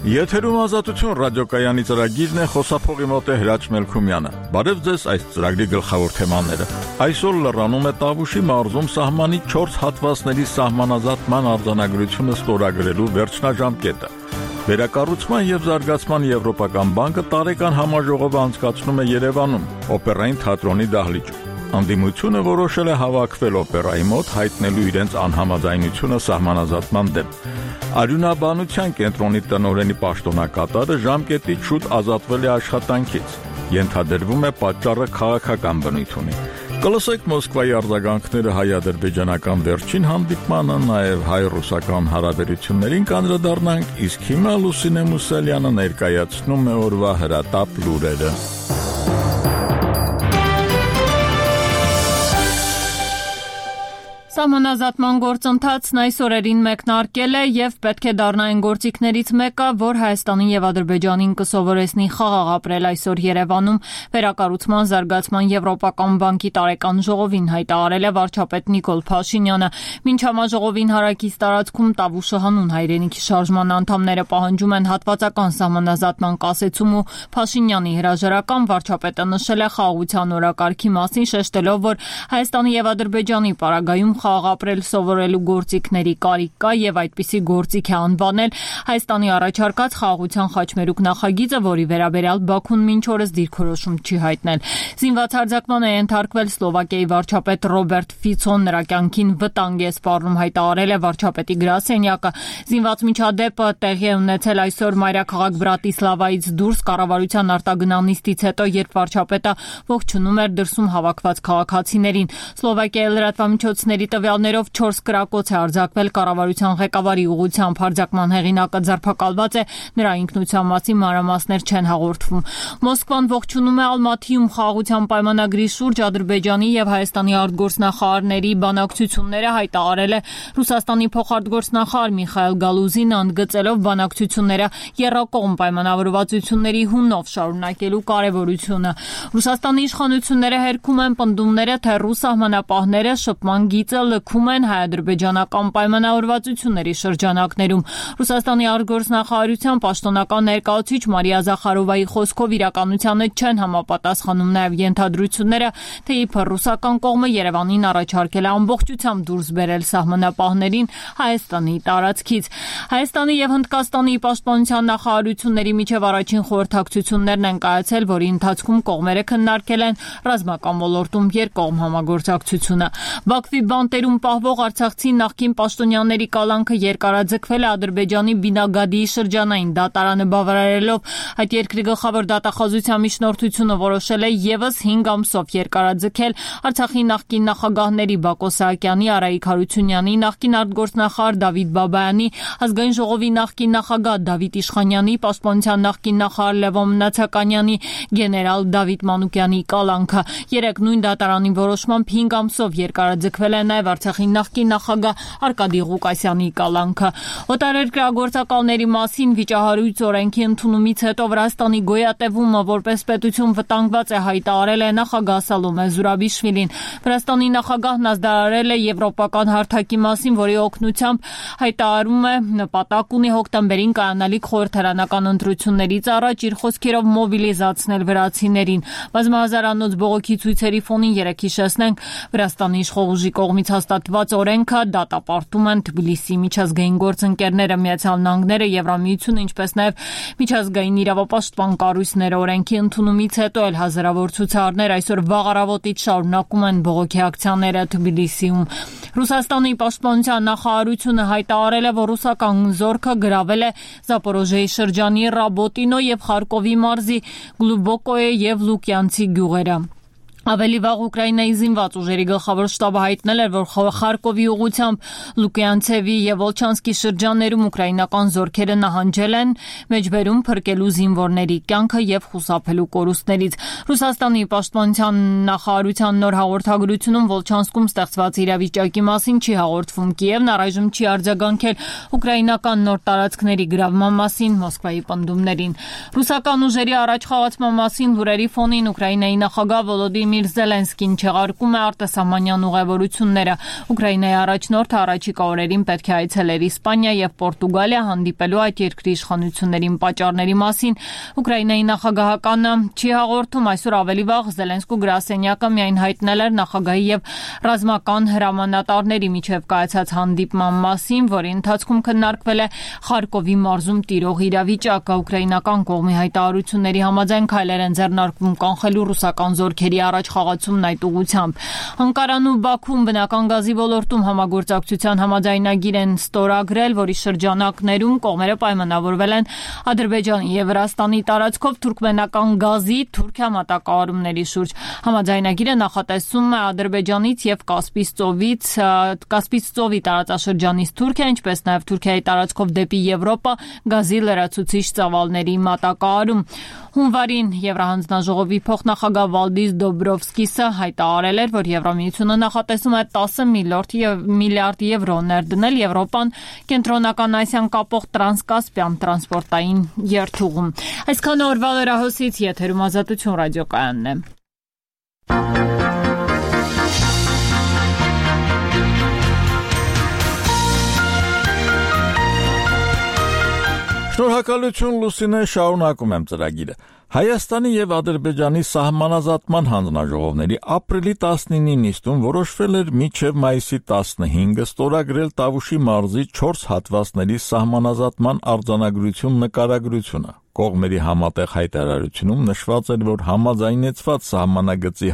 Եթերում ազատություն ռադիոկայանի ծրագիրն է, խոսափողի մոտ է Հրաչ Մելքումյանը։ Բարև ձեզ, այս ծրագրի գլխավոր թեմաները։ Այսօր լրանում է Տավուշի մարզում սահմանի 4 հատվածների սահմանազատման արձանագրությունը ստորագրելու վերջնաժամկետը։ Վերակառուցման եւ զարգացման Եվրոպական բանկը տարեկան համաժողով անցկացնում է Երևանում, օպերային թատրոնի դահլիճում։ Անդիմությունը որոշել է հավաքվել օպերայի մոտ, հայտնելու իրենց անհամաձայնությունը սահմանազատման դեմ։ Արյունաբանության կենտրոնի տնօրենի պաշտոնակատարը ժամկետից շուտ ազատվել է աշխատանքից։ Ենթադրվում է պատճառը քաղաքական բնույթ ունի։ Կլսեք Մոսկվայի արձագանքները հայ-ադրբեջանական վերջին հանդիպմանը, նաև հայ-ռուսական հարաբերություններին կանդրադառնանք, իսկ հիմա Լուսինե Մուսալյանը ներկայացնում է օրվա հրատապ լուրերը։ Սահմանազատման գործընթացն այս օրերին մեկնարկել է եւ պետք է դառնա այն գործիքներից մեկը, որ Հայաստանին եւ Ադրբեջանին կսովորեցնի խաղաղ ապրել այսօր Երևանում վերակառուցման զարգացման Եվրոպական բանկի տարեկան ժողովին հայտարարել է վարչապետ Նիկոլ Փաշինյանը։ Մինչ համաժողովին հարակից տարածքում Տավուշը հանուն հայրենիքի շարժման անդամները պահանջում են հատվածական սահմանազատման կասեցում ու Փաշինյանի հրաժարական, վարչապետը նշել է խաղաղության օրակարգի մասին, շեշտելով, որ Հայաստանի եւ Ադրբեջանի պարագայում ապրել սովորելու գործիքների կարիք կա եւ այդպիսի գործիք է անվանել Հայաստանի առաջարկած խաղաղության խաչմերուկ նախագիծը, որի վերաբերյալ Բաքուն մինչ օրս դիրքորոշում չի հայտնել։ Զինված հարձակման է ենթարկվել Սլովակիայի վարչապետ Ռոբերտ Ֆիցոն, նրա կյանքին վտանգ է սպառնում, հայտարարել է վարչապետի գրասենյակը։ Զինված միջադեպը տեղի է ունեցել այսօր մայրաքաղաք Բրատիսլավայից դուրս կառավարության արտագնանիստից հետո, երբ վարչապետը ողջունում էր դրսում հավաքված քաղաքացիներին։ Սլովակիայի լրատվամիջոցների տվյալներով 4 կրակոց է արձակվել կառավարության ղեկավարի ուղղությամբ, հարձակման հեղինակը ձերբակալված է, նրա ինքնության մասին մանրամասներ չեն հաղորդվում։ Մոսկվան ողջունում է Ալմաթիում խաղաղության պայմանագրի շուրջ Ադրբեջանի եւ Հայաստանի արտգործնախարարների բանակցությունները, հայտարարել է Ռուսաստանի փոխարտգործնախարար Միխայել Գալուզինը, ընդգծելով բանակցությունները եռակողմ պայմանավորվածությունների հունով շարունակելու կարեւորությունը։ Ռուսաստանի իշխանությունները հերքում են պնդումները, թե ռուս սահմանապահները շփման գիծը լքում են հայ-ադրբեջանական պայմանավորվածությունների շրջանակներում։ Ռուսաստանի արտգործնախարարության պաշտոնական ներկայացուցիչ Մարիա Զախարովայի խոսքով իրականությանը չեն համապատասխանում նաև ենթադրությունները, թե իբր ռուսական կողմը Երևանին առաջարկել է ամբողջությամբ դուրս բերել սահմանապահներին Հայաստանի տարածքից։ Հայաստանի եւ Հնդկաստանի պաշտպանության նախարարությունների միջև առաջին խորհրդակցություններն են կայացել, որի ընթացքում կողմերը քննարկել են ռազմական ոլորտում երկկողմ համագործակցությունը։ Բաքվի բանտերում պահվող արցախցի նախկին պաշտոնյաների կալանքը երկարաձգվել է Ադրբեջանի Բինագադիի շրջանային դատարանը բավարարելով։ Այդ երկրի գլխավոր դատախազության միջնորդությունը որոշել է եւս 5 ամսով երկարաձգել Արցախի նախկին նախագահների Բակո Սահակյանի, Արայիկ Հարությունյանի, նախկին արտգործնախարար Դավիթ Բաբայանի, ազգային ժողովի նախկին նախագահ Դավիթ Իշխանյանի, պաշտպանության նախկին նախարար Լևոն Մնացականյանի, գեներալ Դավիթ Մանուկյանի կալանքը։ Երեք նույն դատարանի որոշմամբ 5 ամսով երկարաձգվել է նաև Արցախի նախկին նախագահ Արկադի Ղուկասյանի կալանքը։ Օտարերկրագործակալների մասին վիճահարույց օրենքի ընդունումից հետո Վրաստանի գոյատևումը որպես պետություն վտանգված է, հայտարարել է նախագահ Սալոմե Զուրաբիշվիլին։ Վրաստանի նախագահն ազդարարել է եվրոպական հարթակի մասին, որի օգնությամբ հայտարարում է նպատակ ունի հոկտեմբերին կայանալիք խորհրդարանական ընտրություններից առաջ իր խոսքերով մոբիլիզացնել վրացիներին։ Բազմահազարանոց բողոքի ցույցերի ֆոնին երեկ հիշեցնենք Վրաստանի իշխող ուժի կողմից հաստատված օրենքը դատապարտում են Թբիլիսի միջազգային գործընկերները, Միացյալ Նահանգները, Եվրամիությունը, ինչպես նաև միջազգային իրավապաշտպան կառույցները։ Օրենքի ընդունումից հետո էլ հազարավոր ցուցարներ այսօր վաղ առավոտից շարունակում են բողոքի ակցիաները Թբիլիսիում։ Ռուսաստանի պաշտպանության նախարարությունը հայտարարել է, որ ռուսական զորքը գրավել է Զապորոժիեի շրջանի Ռաբոտինո եւ Խարկովի մարզի Գլուբոկոյե եւ Լուկյանցի գյուղերը։ Ավելի վաղ Ուկրաինայի զինված ուժերի գլխավոր շտաբը հայտնել էր, որ Խարկովի ուղղությամբ Լուկյանցևի եւ Վոլչանսկի շրջաններում ուկրաինական զորքերը նահանջել են մեջբերում փրկելու զինվորների կյանքը եւ խուսափելու կորուստներից։ Ռուսաստանի պաշտպանության նախարարության նոր հաղորդագրությունում Վոլչանսկում ստեղծված իրավիճակի մասին չի հաղորդվում։ Կիևն առայժմ չի արձագանքել ուկրաինական նոր տարածքների գրավման մասին Մոսկվայի պնդումներին։ Ռուսական ուժերի առաջխաղացման մասին լուրերի ֆոնին Ուկրաինայի նախագահ Վոլոդիմիր Վլադիմիր Զելենսկին չեղարկում է արտասահմանյան ուղևորությունները։ Ուկրաինայի առաջնորդը առաջիկա օրերին պետք է այցելեր Իսպանիա եւ Պորտուգալիա հանդիպելու այդ երկրի իշխանություններին պատճառների մասին։ Ուկրաինայի նախագահականը չի հաղորդում, այսօր ավելի վաղ Զելենսկու գրասենյակը միայն հայտնել էր նախագահի եւ ռազմական հրամանատարների միջև կայացած հանդիպման մասին, որի ընթացքում քննարկվել է Խարկովի մարզում տիրող իրավիճակը։ Ուկրաինական կողմի հայտարարությունների համաձայն քայլեր են ձեռնարկվում կանխելու ռուսական զորքերի առաջ խաղացումն այդ ուղղությամբ։ Անկարան ու Բաքուն բնական գազի ոլորտում համագործակցության համաձայնագիր են ստորագրել, որի շրջանակներում կողմերը պայմանավորվել են Ադրբեջանի եւ Վրաստանի տարածքով թուրքմենական գազի Թուրքիա մատակարարումների շուրջ։ Համաձայնագիրը նախատեսում է Ադրբեջանից եւ Կասպից ծովի տարածաշրջանից Թուրքիա, ինչպես նաեւ Թուրքիայի տարածքով դեպի Եվրոպա գազի լրացուցիչ ծավալների մատակարարում։ Հունվարին Եվրահանձնաժողովի փոխնախագահ Վալդիս Դոբրովսկիսը հայտարարել էր, որ Եվրամիությունը նախատեսում է 10 միլիարդ եվրո ներդնել Եվրոպան կենտրոնական Ասիան կապող տրանսկասպյան տրանսպորտային երթուղում։ Այսքան օրվա լրահոսից եթերում Ազատություն ռադիոկայանն է։ Շնորհակալություն Լուսինե, շարունակում եմ ծրագիրը։ Հայաստանի եւ Ադրբեջանի սահմանազատման հանձնաժողովների ապրիլի 19-ի նիստում որոշվել էր մինչև մայիսի 15-ը ստորագրել Տավուշի մարզի 4 հատվածների սահմանազատման արձանագրություն նկարագրությունը։ Կողմերի համատեղ հայտարարությունում նշված էր, որ համաձայնեցված սահմանագծի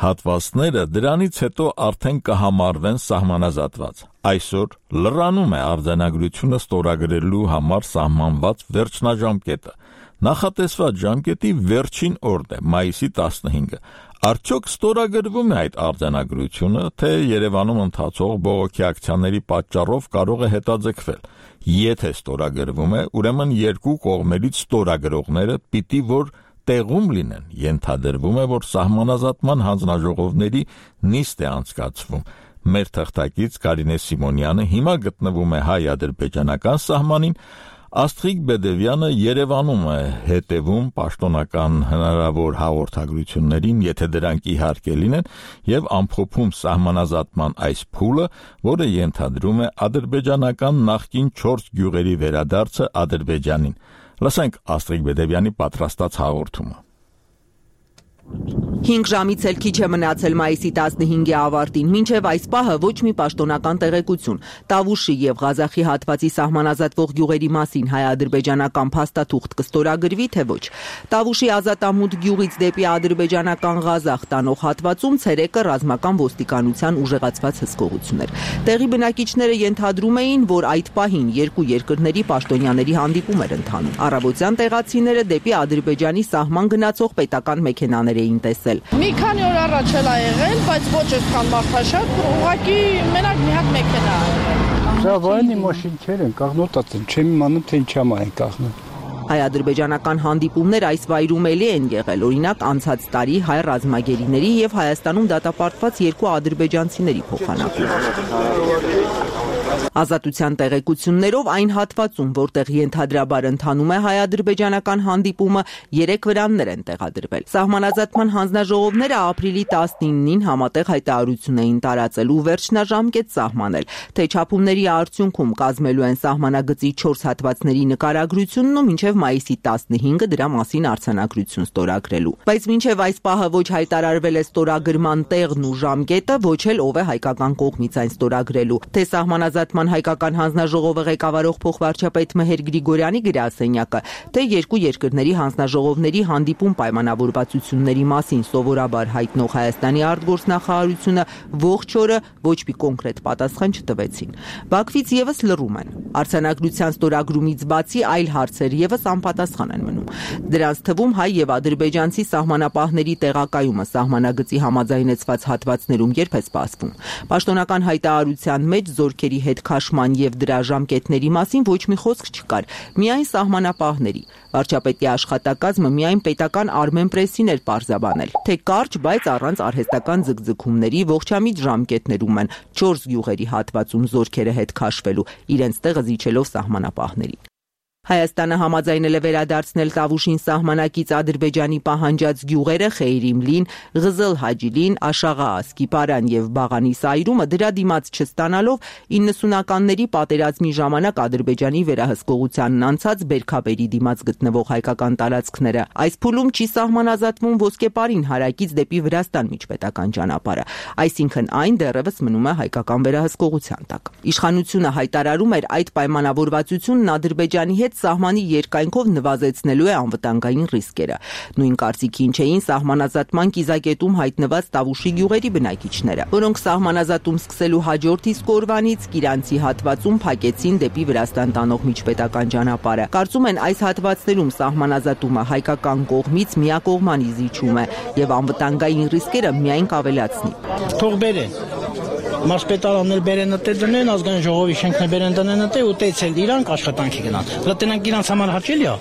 հատվածները դրանից հետո արդեն կհամարվեն սահմանազատված։ Այսօր լրանում է արձանագրությունը ստորագրելու համար սահմանված վերջնաժամկետը։ Նախատեսված ժամկետի վերջին օրն է մայիսի 15-ը։ Արդյոք ստորագրվում է այդ արձանագրությունը, թե Երևանում ընթացող բողոքի ակցիաների պատճառով կարող է հետաձգվել։ Եթե ստորագրվում է, ուրեմն երկու կողմերից ստորագրողները պիտի որ տեղում լինեն, ենթադրվում է, որ սահմանազատման հանձնաժողովների նիստ է անցկացվում։ Մեր թղթակից Կարինե Սիմոնյանը հիմա գտնվում է հայ-ադրբեջանական սահմանին, Աստղիկ Բեդևյանը Երևանում է հետևում պաշտոնական հնարավոր հաղորդագրություններին, եթե դրանք իհարկե լինեն, եւ ամփոփում սահմանազատման այս փուլը, որը ենթադրում է ադրբեջանական նախկին 4 գյուղերի վերադարձը Ադրբեջանին։ Լսենք Աստղիկ Բեդևյանի պատրաստած հաղորդումը։ 5 ժամից էլ քիչ է մնացել մայիսի 15-ի ավարտին, մինչև այս պահը ոչ մի պաշտոնական տեղեկություն Տավուշի եւ Ղազախի հատվածի սահմանազատվող գյուղերի մասին հայ-ադրբեջանական փաստաթուղթ կստորագրվի, թե ոչ։ Տավուշի Ազատամուտ գյուղից դեպի ադրբեջանական Ղազախ տանող հատվածում ցերեկը ռազմական ոստիկանության ուժեղացված հսկողություն էր։ Տեղի բնակիչները ենթադրում էին, որ այդ պահին երկու երկրների պաշտոնյաների հանդիպում էր ընթանում։ Առավոտյան տեղացիները դեպի Ադրբեջանի սահման գնացող պետական մեքենաներ էին տեսել։ Մի քանի օր առաջ էլ ա եղել, բայց ոչ այսքան մարդաշատ, ուղղակի մենակ մի հատ մեքենա ա եղել։ Ժավայնի մաշինքեր են կաղնոտած են, չեմ իմանում, թե ինչա մա են կաղնում։ Հայ-ադրբեջանական հանդիպումներ այս վայրում էլի են եղել, օրինակ անցած տարի հայ ռազմագերիների եւ Հայաստանում դատապարտված երկու ադրբեջանցիների փոխանակում։ Ազատության տեղեկություններով այն հատվածում, որտեղ ենթադրաբար ընթանում է հայ-ադրբեջանական հանդիպումը, 3 վրաններ են տեղադրվել։ Սահմանազատման հանձնաժողովները ապրիլի 19-ին համատեղ հայտարարություն էին տարածել ու վերջնաժամկետ սահմանել, թե չափումների արդյունքում կազմելու են սահմանագծի 4 հատվածների նկարագրությունն ու մինչև մայիսի 15-ը դրա մասին արձանագրություն ստորագրելու։ Բայց մինչև այս պահը ոչ հայտարարվել է ստորագրման տեղն ու ժամկետը, ոչ էլ ով է հայկական կողմից այն ստորագրելու, թե սահմանազատման հայկական հանձնաժողովը ղեկավարող փոխվարչապետ Մեհեր Գրիգորյանի գրասենյակը, թե երկու երկրների հանձնաժողովների հանդիպում պայմանավորվածությունների մասին սովորաբար հայտնող Հայաստանի արտգործնախարարությունը ողջ օրը ոչ մի կոնկրետ պատասխան չտվեցին։ Բաքվից եւս լռում են։ Արձանագրության ստորագրումից բացի այլ հարցեր եւս անպատասխան են մնում։ Դրանց թվում հայ եւ ադրբեջանցի սահմանապահների տեղակայումը սահմանագծի համաձայնեցված հատվածներում երբ է սպասվում։ Պաշտոնական հայտարարության մեջ զորքերի հետ քաշման եւ դրա ժամկետների մասին ոչ մի խոսք չկար, միայն սահմանապահների։ Վարչապետի աշխատակազմը միայն պետական Armenpress-ին էր պարզաբանել, թե կարճ, բայց առանց արհեստական ձգձգումների ողջամիտ ժամկետներում են 4 գյուղերի հատվածում զորքերը հետ քաշվելու, իրենց տեղը զիջելով սահմանապահների։ Հայաստանը համաձայնել է վերադարձնել Տավուշին սահմանակից Ադրբեջանի պահանջած գյուղերը Խեյրիմլին, Ղզել Հաջիլին, Աշաղա Ասկիպարան եւ Բաղանի Սայրումը դրա դիմաց չստանալով 90-ականների պատերազմի ժամանակ Ադրբեջանի վերահսկողությանն անցած Բերքաբերի դիմաց գտնվող հայկական տարածքները։ Այս փուլում չի սահմանազատվում ոսկեպարին հարակից դեպի Վրաստան միջպետական ճանապարհը, այսինքն այն դեռևս մնում է հայկական վերահսկողության տակ։ Իշխանությունը հայտարարում էր այդ պայմանավորվածությունն Ադրբեջանի հետ սահմանի երկայնքով նվազեցնելու է անվտանգային ռիսկերը։ Նույն կարծիքին չէին սահմանազատման կիզակետում հայտնված Տավուշի գյուղերի բնակիչները, որոնք սահմանազատում սկսելու հաջորդ իսկ օրվանից Կիրանցի հատվածում փակեցին դեպի Վրաստան տանող միջպետական ճանապարհը։ Կարծում են այս հատվածներում սահմանազատումը հայկական կողմից միակողմանի զիջում է եւ անվտանգային ռիսկերը միայն կավելացնի։ Թող բերեն Մարսպետարաններ բերեն դե դնեն, ազգային ժողովի շենքներ բերեն դնեն դե ու տեցել իրանք աշխատանքի գնան։ Դրանք իրանք համար հաճելի է։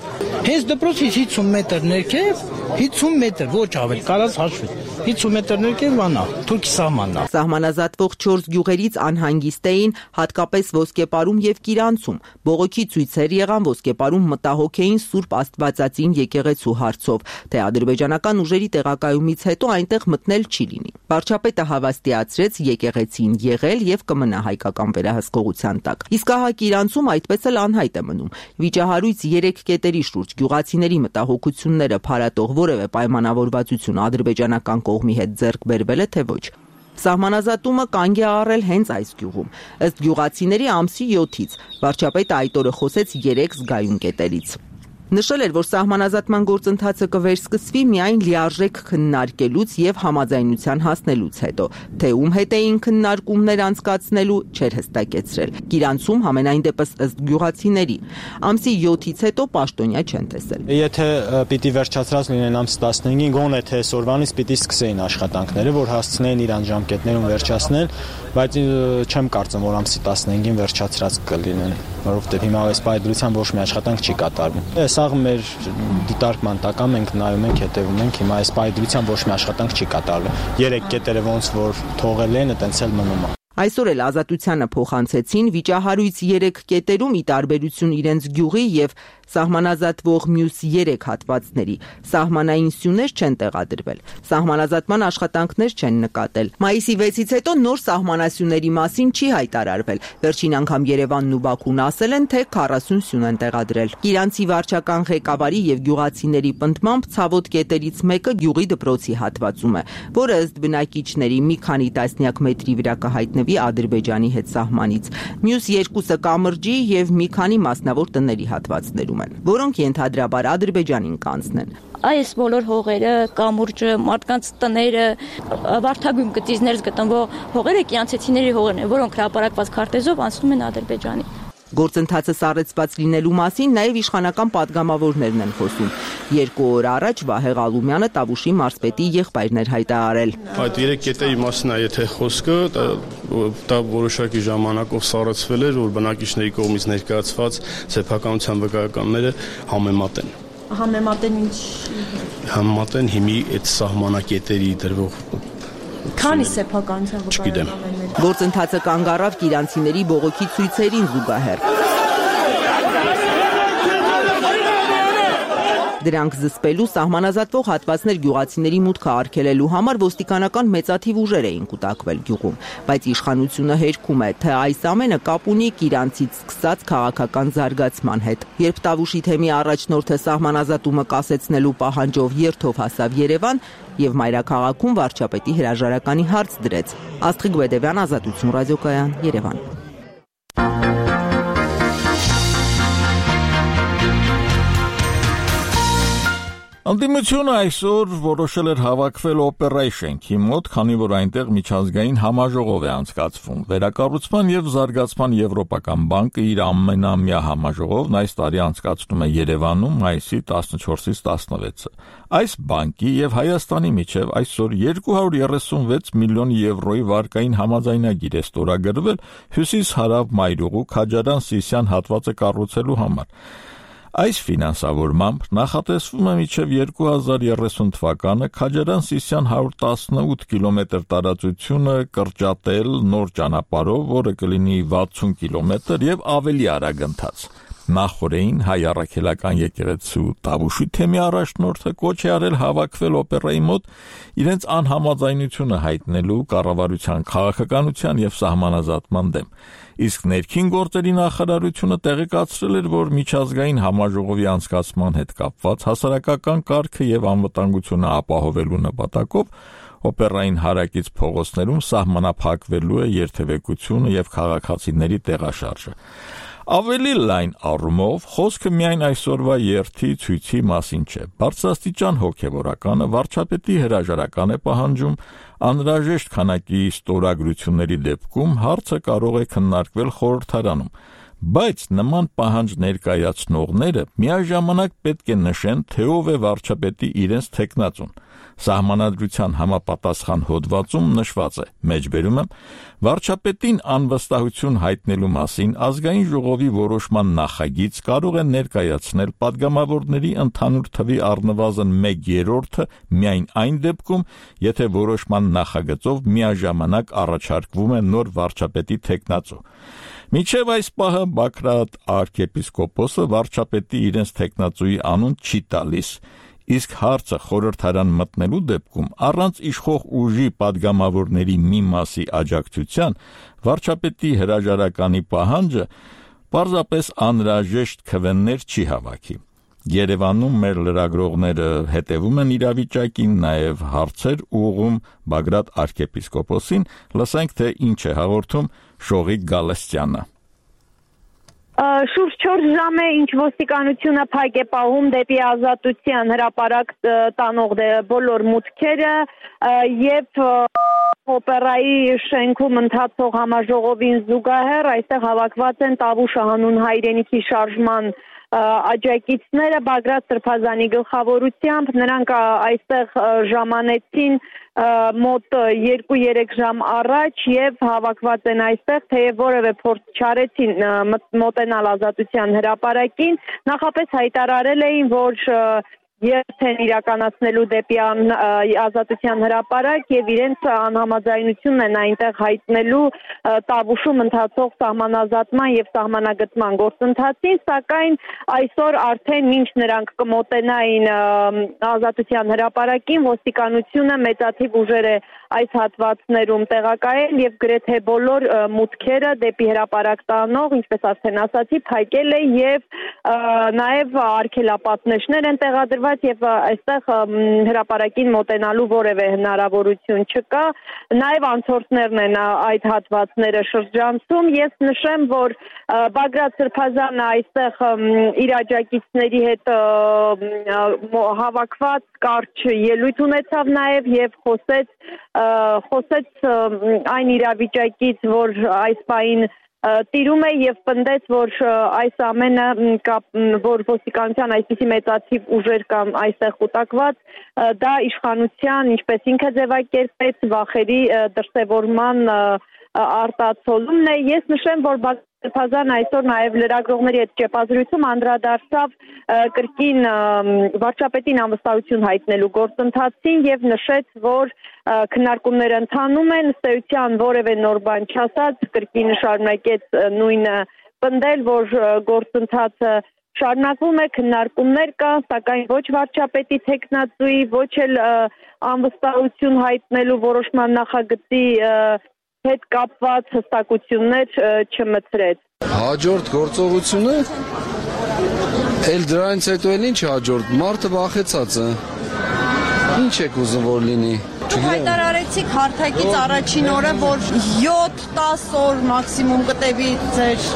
Հենց դպրոցից 50 մետր ներքև, 50 մետր, ոչ ավել, կարած հաշվի։ 50 մետր ներքև վանա, Թուրքի սահմանն է։ Սահմանազատվող 4 գյուղերից անհանգիստ էին հատկապես Ոսկեպարում եւ Կիրանցում։ Բողոքի ցույցեր եղան Ոսկեպարում մտահոգ էին Սուրբ Աստվածածին եկեղեցու հարցով, թե ադրբեջանական ուժերի տեղակայումից հետո այնտեղ մտնել չի լինի։ Վարչապետը հավաստիացրեց եկեղեցին եղել եւ կմնա հայկական վերահսկողության տակ։ Իսկ ահա Կիրանցում այդպես էլ անհայտ է մնում։ Վիճահարույց 3 կետերի շուրջ գյուղացիների մտահոգությունները փարատող որևէ պայմանավորվածություն ադրբեջանական կողմի հետ ձեռք բերվել է թե ոչ։ Սահմանազատումը կանգ է առել հենց այս գյուղում։ Ըստ գյուղացիների ամսի 7-ից վարչապետը այդ օրը խոսեց 3 զգայուն կետերից։ Նշել էր, որ սահմանազատման գործընթացը կվերսկսվի միայն լիարժեք քննարկելուց եւ համաձայնության հասնելուց հետո, թե ում հետ էին քննարկումներ անցկացնելու չէր հստակեցրել։ Կիրանցում համենայն դեպս ըստ գյուղացիների ամսի 7-ից հետո պաշտոնյա չեն տեսել։ Եթե պիտի վերջացած լինեն ամսի 15-ին, գոնե թե այսօրվանից պիտի սկսեին աշխատանքները, որ հասցնեին իրան ժամկետներում վերջացնել, բայց չեմ կարծում, որ ամսի 15-ին վերջացած կլինեն, որովհետեւ հիմա այս պայմանավորության ոչ մի աշխատանք չի կատարվում։ Սաղ մեր դիտարկման տակ մենք նայում ենք, հետևում ենք, հիմա այս պայմանավորության ոչ մի աշխատանք չի կատարվում։ 3 կետերը ոնց որ թողել են, այտենց էլ մնում է։ Այսօր էլ ազատությանը փոխանցեցին վիճահարույց 3 կետերում ի տարբերություն իրենց գյուղի եւ սահմանազատվող մյուս 3 հատվածների սահմանային սյուներ չեն տեղադրվել, սահմանազատման աշխատանքներ չեն նկատել։ Մայիսի 6-ից հետո նոր սահմանասյուների մասին չի հայտարարվել։ Վերջին անգամ Երևանն ու Բաքուն ասել են, թե 40 սյուն են տեղադրել։ Կիրանցի վարչական ղեկավարի եւ գյուղացիների պնդմամբ ցավոտ կետերից մեկը գյուղի դպրոցի հատվածում է, որը ըստ բնակիչների մի քանի տասնյակ մետրի վրա կհայտնվի Ադրբեջանի հետ սահմանից։ Մյուս 2-ը կամրջի եւ մի քանի մասնավոր տների հատվածներում են, որոնք ենթադրաբար Ադրբեջանին կանցնեն։ Այս բոլոր հողերը, կամուրջը, մարդկանց տները, վարդագույն գծիզներից գտնվող հողերը կիրանցեցիների հողերն են, որոնք հրապարակված քարտեզով անցնում են Ադրբեջանի։ Գործընթացը սառեցված լինելու մասին նաև իշխանական պատգամավորներն են խոսում։ 2 օր առաջ Վահե Ղալումյանը Տավուշի մարզպետի եղբայրն էր հայտարարել։ Այդ 3 կետերի մասին է եթե խոսքը, դա որոշակի ժամանակով սառեցվել էր, որ բնակիչների կողմից ներկայացված սեփականության վկայականները համեմատեն։ Համեմատեն ինչ։ Համեմատեն հիմի այդ սահմանակետերի դրվող Քանի սեփականության վկայականներ։ Գործընթացը կանգ առավ կիրանցիների բողոքի ցույցերին զուգահեռ։ Դրանք զսպելու սահմանազատվող հատվածներ գյուղացիների մուտքը արգելելու համար ոստիկանական մեծաթիվ ուժեր էին կուտակվել գյուղում, բայց իշխանությունը հերքում է, թե այս ամենը կապ ունի Կիրանցից սկսած քաղաքական զարգացման հետ։ Երբ Տավուշի թեմի առաջնորդը սահմանազատումը կասեցնելու պահանջով երթով հասավ Երևան եւ մայրաքաղաքում վարչապետի հրաժարականի հարց դրեց։ Աստղիկ Բեդևյան, Ազատություն ռադիոկայան, Երևան։ Անդիմությունը այսօր որոշել էր հավաքվել օպերայի շենքի մոտ, քանի որ այնտեղ միջազգային համաժողով է անցկացվում։ Վերակառուցման եւ զարգացման եվրոպական բանկը իր ամենամյա համաժողովն այս տարի անցկացնում է Երևանում մայիսի 14-ից 16-ը։ Այս բանկի եւ Հայաստանի միջև այսօր 236 միլիոն եվրոյի վարկային համաձայնագիր է ստորագրվել հյուսիս-հարավ մայրուղու Քաջարան-Սիսիան հատվածը կառուցելու համար։ Այս ֆինանսավորմամբ նախատեսվում է մինչև 2030 թվականը Քաջարան-Սիսիան 118 կիլոմետր տարածությունը կրճատել նոր ճանապարհով, որը կլինի 60 կիլոմետր եւ ավելի արագ ընթաց։ Նախորդին հայ առաքելական եկեղեցու Տավուշի թեմի առաջնորդը կոչ է արել հավաքվել օպերայի մոտ իրենց անհամաձայնությունը հայտնելու կառավարության քաղաքականության եւ սահմանազատման դեմ։ Իսկ ներքին գործերի նախարարությունը տեղեկացրել էր, որ միջազգային համաժողովի անցկացման հետ կապված հասարակական կարգը եւ անվտանգությունը ապահովելու նպատակով օպերային հարակից փողոցներում սահմանափակվելու է երթևեկությունը եւ քաղաքացիների տեղաշարժը։ Ավելի լայն առումով խոսքը միայն այսօրվա երթի ցույցի մասին չէ։ Բարձրաստիճան հոգևորականը վարչապետի հրաժարական է պահանջում, անհրաժեշտ քանակի ստորագրությունների դեպքում հարցը կարող է քննարկվել խորհրդարանում, բայց նման պահանջ ներկայացնողները միաժամանակ պետք է նշեն, թե ով է վարչապետի իրենց թեկնածուն։ Սահմանադրության համապատասխան հոդվածում նշված է. մեջբերում եմ, վարչապետին անվստահություն հայտնելու մասին ազգային ժողովի որոշման նախագիծ կարող է ներկայացնել падգամավորների ընդհանուր թվի առնվազն 1/3-ը միայն այն դեպքում, եթե որոշման նախագծով միաժամանակ առաջարկվում է նոր վարչապետի թեկնածու։ Մինչև այս պահը Բագրատ arczepiskopos-ը վարչապետի իրենց թեկնածուի անուն չի տալիս, իսկ հարցը խորհրդարան մտնելու դեպքում առանց իշխող ուժի падգամավորների մի մասի աջակցության վարչապետի հրաժարականի պահանջը պարզապես անհրաժեշտ քվեներ չի հավաքի։ Երևանում մեր լրագրողները հետևում են իրավիճակին, նաև հարցեր ուղղում Բագրատ arczepiskopos-ին, լսենք թե ինչ է հաղորդում Շողիկ Գալստյանը։ Շուրջ 4 ժամ է, ինչ ոստիկանությունը փակ է պահում դեպի ազատության հրապարակ տանող բոլոր մուտքերը եւ օպերայի շենքում ընթացող համաժողովին զուգահեռ այստեղ հավաքված են Տավուշ հանուն հայրենիքի շարժման աջակիցները Բագրատ Սրբազանի գլխավորությամբ, նրանք այստեղ ժամանեցին մոտ 2-3 ժամ առաջ եւ հավաքված են այստեղ, թեև որևէ փորձ չարեցին մոտենալ ազատության հրապարակին, նախապես հայտարարել էին, որ երթ են իրականացնելու դեպի ազատության հրապարակ եւ իրենց անհամաձայնությունն են այնտեղ հայտնելու Տավուշում ընթացող սահմանազատման եւ սահմանագծման գործընթացին, սակայն այսօր արդեն մինչ նրանք կմոտենային ազատության հրապարակին, ոստիկանությունը մեծաթիվ ուժեր է այս հատվածներում տեղակայել եւ գրեթե բոլոր մուտքերը դեպի հրապարակ տանող, ինչպես արդեն ասացի, փակել է եւ նաեւ արգելապատնեշներ են տեղադրված եւ այստեղ հրապարակին մոտենալու որևէ հնարավորություն չկա, նաեւ անցորդներն են այդ հատվածները շրջանցում։ Ես նշեմ, որ Բագրատ Սրբազանը այստեղ իր աջակիցների հետ հավաքված կարճ ելույթ ունեցավ նաեւ եւ խոսեց այն իրավիճակից, որ այս պահին տիրում է եւ պնդեց, որ այս ամենը որ ոստիկանության այսպիսի մեծաթիվ ուժեր կամ այստեղ կուտակված, դա իշխանության, ինչպես ինքը ձևակերպեց, վախերի դրսևորման արտացոլումն է։ Ես նշեմ, որ Սրբազանը այսօր նաև լրագրողների հետ ճեպազրույցում անդրադարձավ կրկին վարչապետին անվստահություն հայտնելու գործընթացին եւ նշեց, որ քննարկումները ընթանում են, ըստ էության որևէ նոր բան չասած, կրկին շարունակեց նույնը պնդել, որ գործընթացը շարունակվում է, քննարկումներ կան, սակայն ոչ վարչապետի թեկնածուի, ոչ էլ անվստահություն հայտնելու որոշման նախագծի հետ կապված հստակություններ չմցրեց։ Հաջորդ գործողությունը էլ դրանից հետո էլ ինչ հաջորդ, մարդը վախեցած է։ Ինչ եք ուզում որ լինի։ Դուք հայտարարեցիք հարթակից առաջին օրը, որ 7-10 օր մաքսիմում կտևի ձեր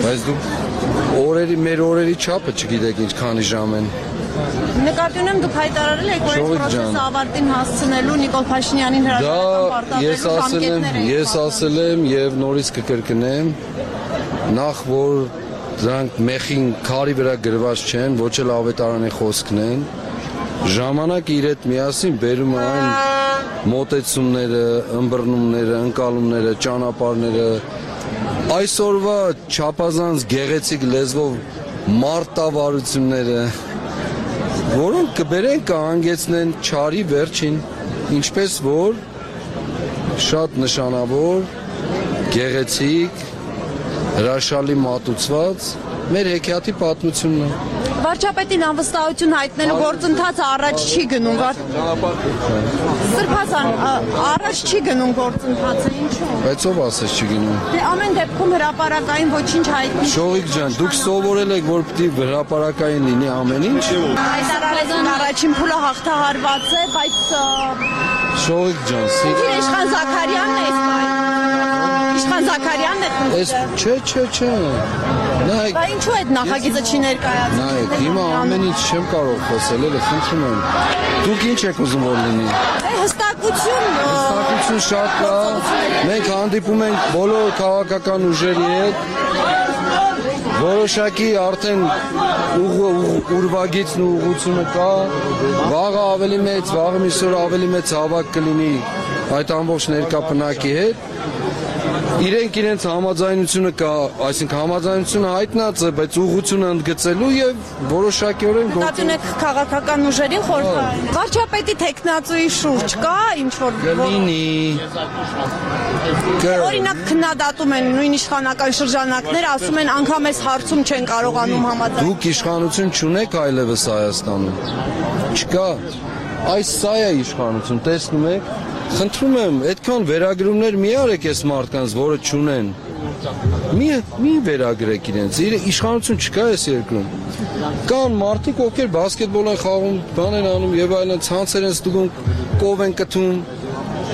Բայց դուք մեր օրերի չափը չգիտեք ինչքանի ժամ են։ Նկատի ունեմ դուք հայտարարել եք, որ այս process-ը ավարտին հասցնելու Նիկոլ Փաշինյանին հրաժարական պարտադրելու Ես ասել եմ եւ նորից կկրկնեմ, նախ որ դրանք մեխին քարի վրա գրված չեն, ոչ էլ ավետարանի խոսքն են, ժամանակը իր հետ միասին բերում է այն մոտեցումները, ըմբռնումները, ընկալումները, ճանապարհները, այսօրվա չափազանց գեղեցիկ լեզվով մարտավարությունները, որոնք կբերեն կհանգեցնեն չարի վերջին, ինչպես որ շատ նշանավոր, գեղեցիկ, հրաշալի մատուցված Մեր հեքիաթի պատմությունն է։ Վարչապետին անվստահություն հայտնելու գործընթացը առաջ չի գնում։ Սրբազան առաջ չի գնում գործընթացը, ինչու՞։ Բայց ով ասես չի գնում։ Դե ամեն դեպքում հրապարակային ոչինչ հայտնի։ Շողիկ ջան, դուք սովորել եք, որ պիտի հրապարակային լինի ամեն ինչ։ Հայտարարեցին առաջին փուլը հաղթահարված է, բայց Շողիկ ջան, Իշխան Զաքարյանն է Իշխան Զաքարյանն է։ Չէ։ Նայեք։ Բա ինչու այդ նախագիծը չի ներկայացնում։ Նայեք, հիմա ամեն ինչ չեմ կարող խոսել, էլի խնդրում եմ։ Դուք ինչ եք ուզում որ լինի։ Հստակություն շատ կա։ Մենք հանդիպում ենք բոլոր քաղաքական ուժերի հետ։ Որոշակի արդեն ուրվագիծն ու ուղղությունը կա։ Վաղը ավելի մեծ, վաղը միսօր ավելի մեծ հավաք կլինի այդ ամբողջ ներկա բնակի հետ։ Իրենք համաձայնությունը կա, այսինքն համաձայնությունը հայտնած է, բայց ուղղությունը ընդգծելու եւ որոշակիորեն գործում եք քաղաքական ուժերին խորհրդային։ Վարչապետի տեխնացուի շուրջ կա ինչ որ օրինակ քննադատում են նույն իշխանական շրջանակները, ասում են անգամ այս հարցում չեն կարողանում համաձայնել։ Դուք իշխանություն չունեք այլևս Հայաստանում։ Չկա։ Այս սա է իշխանություն, տեսնում եք։ Խնդրում եմ, այդքան վերագրումներ մի արեք այս մարդկանց, որը չունեն։ Մի վերագրեք իրենց։ Իշխանություն չկա այս երկրում։ Կան մարդիկ, ովքեր բասկետբոլ են խաղում, բան են անում եւ այլն, ցանցեր են ստուգում, կով են կթում։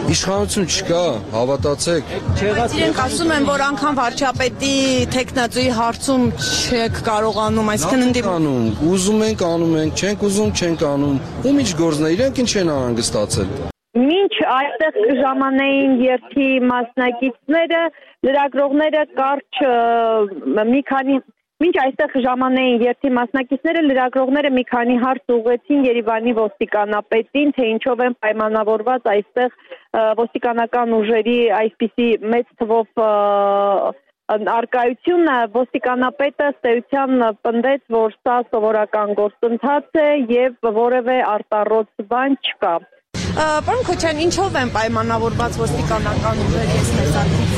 Իշխանություն չկա, հավատացեք։ Իրենք ասում են, որ անգամ վարչապետի տեխնացուի հարցում չեք կարողանում, այսինքն ընդդիմանում։ Ուզում ենք անում ենք, չենք ուզում չենք անում։ Ում ինչ գործն է, իրենք ինչ են անհանգստացել։ Մինչ այստեղ ժամանային երթի մասնակիցները, լրագրողները կարճ Մինչ այստեղ ժամանային երթի մասնակիցները, լրագրողները մի քանի հարց ուղղեցին Երևանի ոստիկանապետին, թե ինչով են պայմանավորված այստեղ ոստիկանական ուժերի այսպիսի մեծ թվով արկայությունը, ոստիկանապետը ստեյության պնդեց, որ սա սովորական գործընթաց է եւ որևէ արտառոց բան չկա։ Պարոն Քոչյան, ինչով են պայմանավորված ոստիկանական ուժերը մեծակից։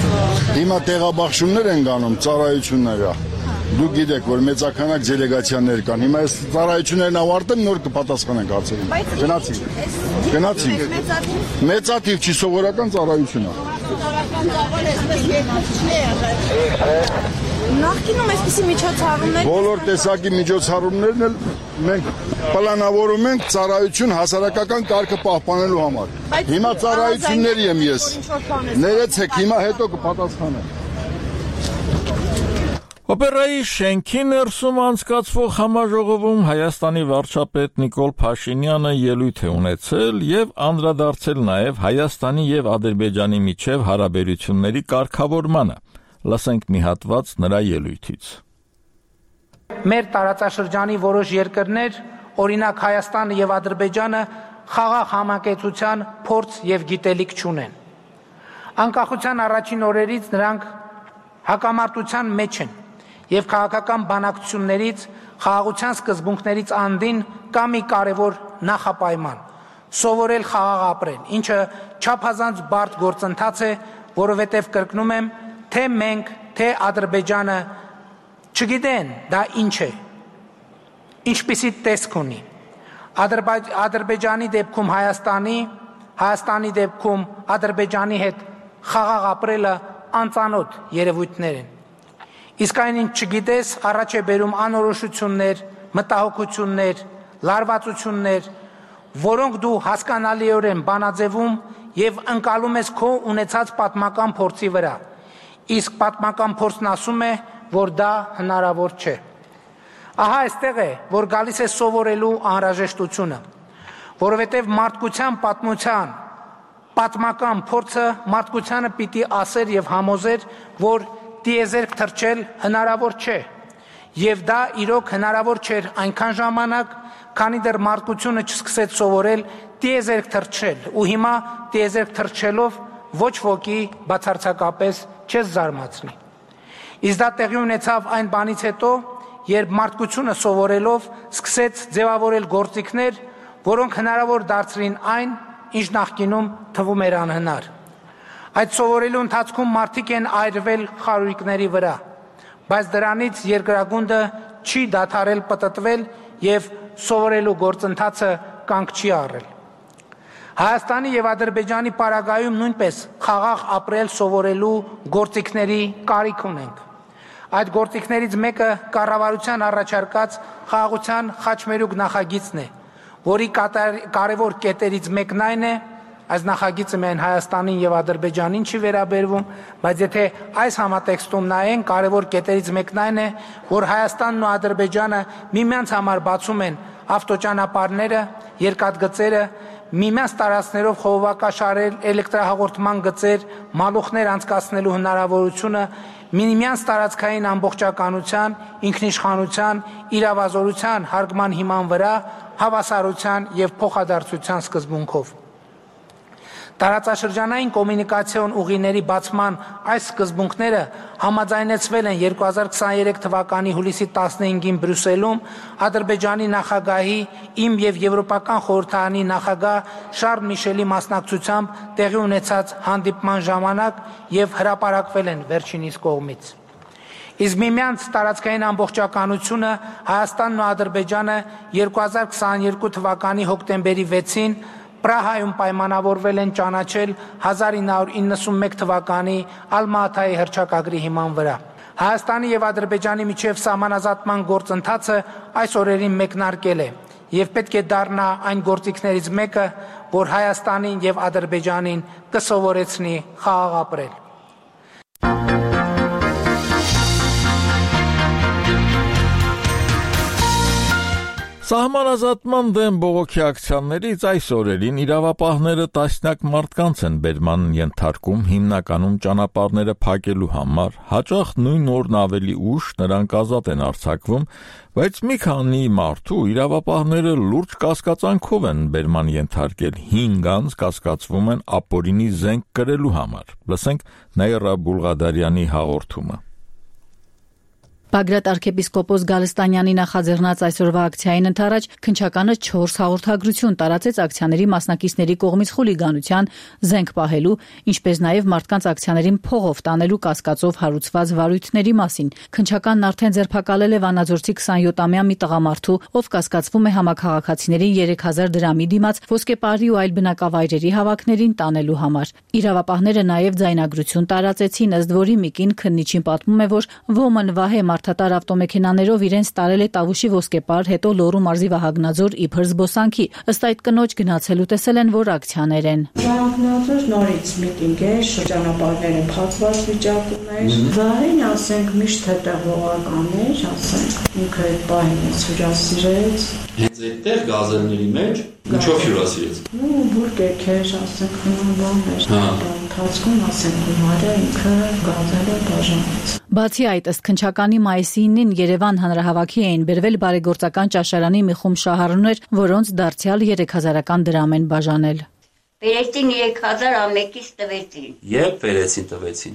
Հիմա տեղաբաշխումներ են գանում, ծառայությունները։ Դուք գիտեք, որ մեծականակ դելեգացիաներ կան։ Հիմա այս ծառայություններն ավարտեն, նոր կպատասխանենք հարցերին։ Գնացինք։ Մեծաթիվ չի սովորական ծառայություն է։ Նախկինում այսպիսի միջոցառումներ բոլոր տեսակի միջոցառումներն էլ մենք պլանավորում ենք ծառայություն հասարակական կարգը պահպանելու համար։ Հիմա ծառայությունների եմ ես։ Ներեցեք, հիմա հետո կպատասխանեմ։ Օպերայի շենքի ներսում անցկացվող համաժողովում Հայաստանի վարչապետ Նիկոլ Փաշինյանը ելույթ է ունեցել եւ անդրադարձել նաեւ Հայաստանի եւ Ադրբեջանի միջև հարաբերությունների կարգավորմանը։ Լսենք մի հատված նրա ելույթից։ Մեր տարածաշրջանի որոշ երկրներ, օրինակ Հայաստանը եւ Ադրբեջանը, խաղաղ համակեցության փորձ եւ գիտելիք չունեն։ Անկախության առաջին օրերից նրանք հակամարտության մեջ են եւ քաղաքական բանակցություններից, խաղաղության սկզբունքներից անդին կա մի կարևոր նախապայման՝ սովորել խաղաղ ապրել, ինչը չափազանց բարդ գործընթաց է, որովհետեւ կրկնում եմ, թե մենք, թե Ադրբեջանը չգիտեն դա ինչ է, ինչպիսի տեսք ունի։ Ադրբեջանի դեպքում Հայաստանի դեպքում Ադրբեջանի հետ խաղաղ ապրելը անծանոթ երևույթներ են։ Իսկ այն ինչ չգիտես, առաջ է բերում անորոշություններ, մտահոգություններ, լարվածություններ, որոնք դու հասկանալիորեն բանաձևում եւ ընկալում ես քո ունեցած պատմական փորձի վրա։ Իսկ պատմական փորձն ասում է, որ դա հնարավոր չէ։ Ահա այստեղ է, որ գալիս է սովորելու անհրաժեշտությունը, որովհետև մարդկության պատմական փորձը մարդկությանը պիտի ասեր եւ համոզեր, որ տիեզերք թռչել հնարավոր չէ, եւ դա իրոք հնարավոր չէր այնքան ժամանակ, քանի դեռ մարդկությունը չսկսեց սովորել տիեզերք թռչել, ու հիմա տիեզերք թռչելով ոչ ոքի բացարձակապես չես զարմացնի։ Իսկ դա տեղի ունեցավ այն բանից հետո, երբ մարդկությունը սովորելով սկսեց ձևավորել գործիքներ, որոնք հնարավոր դարձրին այն, ինչ նախկինում թվում էր անհնար։ Այդ սովորելու ընթացքում մարդիկ են այրվել խարույկների վրա, բայց դրանից երկրագունդը չի դադարել պտտվել եւ սովորելու գործընթացը կանգ չի առել։ Հայաստանի եւ Ադրբեջանի պարագայում նույնպես խաղաղ ապրել սովորելու գործիքների կարիք ունենք։ Այդ գործիքներից մեկը կառավարության առաջարկած խաղաղության խաչմերուկ նախագիծն է, որի կարևոր կետերից մեկն այն է, այս նախագիծը միայն Հայաստանին եւ Ադրբեջանին չի վերաբերվում, բայց եթե այս համատեքստում նայեն, կարևոր կետերից մեկն այն է, որ Հայաստանն ու Ադրբեջանը միմյանց համար բացում են ավտոճանապարհները, երկաթգծերը, միմյանց տարածքներով խողովակաշարեր, էլեկտրահաղորդման գծեր, մալուխներ անցկացնելու հնարավորությունը, միմյանց տարածքային ամբողջականության, ինքնիշխանության, իրավազորության հարգման հիման վրա հավասարության եւ փոխադարձության սկզբունքով։ Տարածաշրջանային կոմունիկացիոն ուղիների բացման այս սկզբունքները համաձայնեցվել են 2023 թվականի հուլիսի 15-ին Բրյուսելում Ադրբեջանի նախագահի իմ եւ Եվրոպական խորհրդարանի նախագահ Շարլ Միշելի մասնակցությամբ տեղի ունեցած հանդիպման ժամանակ եւ հրապարակվել են վերջինիս կողմից։ Իսկ միմյանց տարածքային ամբողջականությունը Հայաստանն ու Ադրբեջանը 2022 թվականի հոկտեմբերի 6-ին Պրահայում պայմանավորվել են ճանաչել 1991 թվականի Ալմա-Աթայի հռչակագրի հիման վրա։ Հայաստանի եւ Ադրբեջանի միջև սահմանազատման գործընթացը այս օրերին մեկնարկել է եւ պետք է դառնա այն գործիքներից մեկը, որ Հայաստանին եւ Ադրբեջանին կսովորեցնի խաղաղ ապրել։ Սահմանազատման դեմ բողոքի ակցիաներից այս օրերին իրավապահները տասնյակ մարդկանց են բերման ենթարկում հիմնականում ճանապարհները փակելու համար, հաճախ նույն օրն ավելի ուշ նրանք ազատ են արձակվում, բայց մի քանի մարդու իրավապահները լուրջ կասկածանքով են բերման ենթարկել 5 անձ կասկածվում են ապօրինի զենք կրելու համար։ Լսենք Նաիրա Բուլղադարյանի հաղորդումը։ Բագրատ arczepiskopos Գալստանյանի նախաձեռնած այսօրվա ակցիային ընթരാճ քննչականը 4 հաղորդագրություն տարածեց ակցիաների մասնակիցների կողմից խուլիգանության, զենք պահելու, ինչպես նաև մարդկանց ակցիաներին փողով տանելու կասկածով հարուցված վարույթների մասին։ Քննչականն արդեն ձերբակալել է Վանաձորցի 27-ամյա մի տղամարդու, ով կասկածվում է համակարգացիներին 3000 դրամի դիմաց ոսկեպարի ու այլ բնակավայրերի հավաքներին տանելու համար։ Իրավապահները նաև ձայնագրություն տարածեցին, ըստ որի Միկին քննիչին պատմում է, որ ոմն Վահե մարդատար ավտոմեքենաներով իրենց տարել է Տավուշի ոսկեպար, հետո Լոռու մարզի Վահագնաձոր իբր զբոսանքի։ Ըստ այդ կնոջ գնացել ու տեսել են, որ ակցիաներ են։ Վահագնաձոր նորից միտինգ է, շրջանապարհները փակված վիճակում էր։ Վահեն, ասենք, միշտ հետևողական էր, ասենք, ինքը պահին է հյուրասիրեց։ Հենց այդտեղ գազելների մեջ ինչով հյուրասիրեց։ Ու բուրգեր էր, ասենք, բան էր։ Ընթացքում ասենք գումարը ինքը գազելը բաժանեց։ Բացի այդ, ըստ քննչականի մայիսի 9-ին Երևան հանրահավաքի էին բերվել բարեգործական ճաշարանի մի խումբ շահառուներ, որոնց դարձյալ 3000-ական դրամ են բաժանել։ Վերեցին 3000 ամեկից տվեցին։ Երբ վերեցին տվեցին։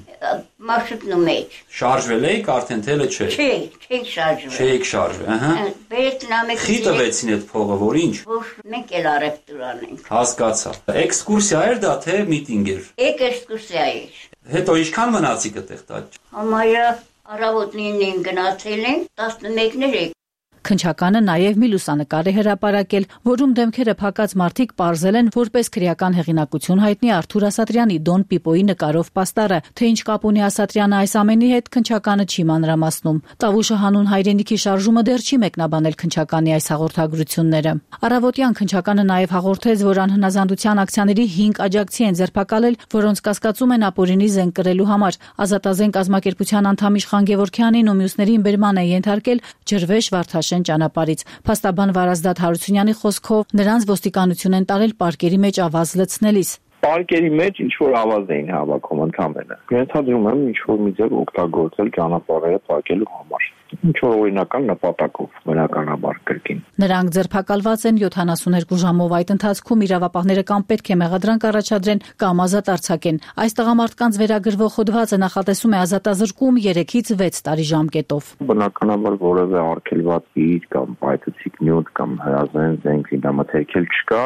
Մարշրուտնու մեջ։ Շարժվել էիք արդեն թե՞ չէ։ Չէի շարժվել։ Չէիք շարժվել, ահա։ Վերեցին ամեկից։ Խի տվեցին այդ փողը, որ ինչ։ Որ մենք էլ առևտուր անենք։ Հասկացա։ Էքսկուրսիա էր դա թե միտինգ էր։ Էքսկուրսիա էր։ Հետո ինչքան մնացիք այդտեղ տաճ։ Համարյա առավոտ 9-ին գնացել ենք, 11-ներ եք։ Քննչականը նաև մի լուսանկար է հրապարակել, որում դեմքերը փակած մարդիկ պարզել են որպես քրեական հեղինակություն հայտնի Արթուր Ասատրյանի Դոն Պիպոյի նկարով պաստառը, թե ինչ կապ ունի Ասատրյանը այս ամենի հետ քննչականը չի մանրամասնում։ Տավուշը հանուն հայրենիքի շարժումը դեռ չի մեկնաբանել քննչականի այս հաղորդագրությունները։ Առավոտյան քննչականը նաև հաղորդեց, որ անհնազանդության ակցիաների 5 աջակցի են ձերբակալել, որոնց կասկածում են ապօրինի զենք կրելու համար։ Ազատազենք կազմակերպության անդամ Իշխան Գևորգյանին ու մյուսներին բերման է ենթարկել Ջրվեժ Վարդաշեն ճանապարհից։ Փաստաբան Վարազդատ Հարությունյանի խոսքով նրանց ոստիկանություն են տարել պարկերի մեջ ավազ լցնելիս։ Պարկերի մեջ ինչ որ ավազ էին հավաքում ընդհանրապես։ Ենթադրում եմ ինչ որ մի ձև օգտագործել ճանապարհները փակելու համար։ ինչ որ օրինական նպատակով բնականաբար կրկին։ Նրանք ձերբակալված են 72 ժամով, այդ ընթացքում իրավապահները կամ պետք է մեղադրանք առաջադրեն կամ ազատ արձակեն։ Այս տղամարդկանց վերագրվող հոդվածը նախատեսում է ազատազրկում 3-ից 6 տարի ժամկետով։ Բնականաբար որևէ արգելված իր կամ պայթուցիկ նյութ կամ հրազեն զենք զինամթերքել չկա,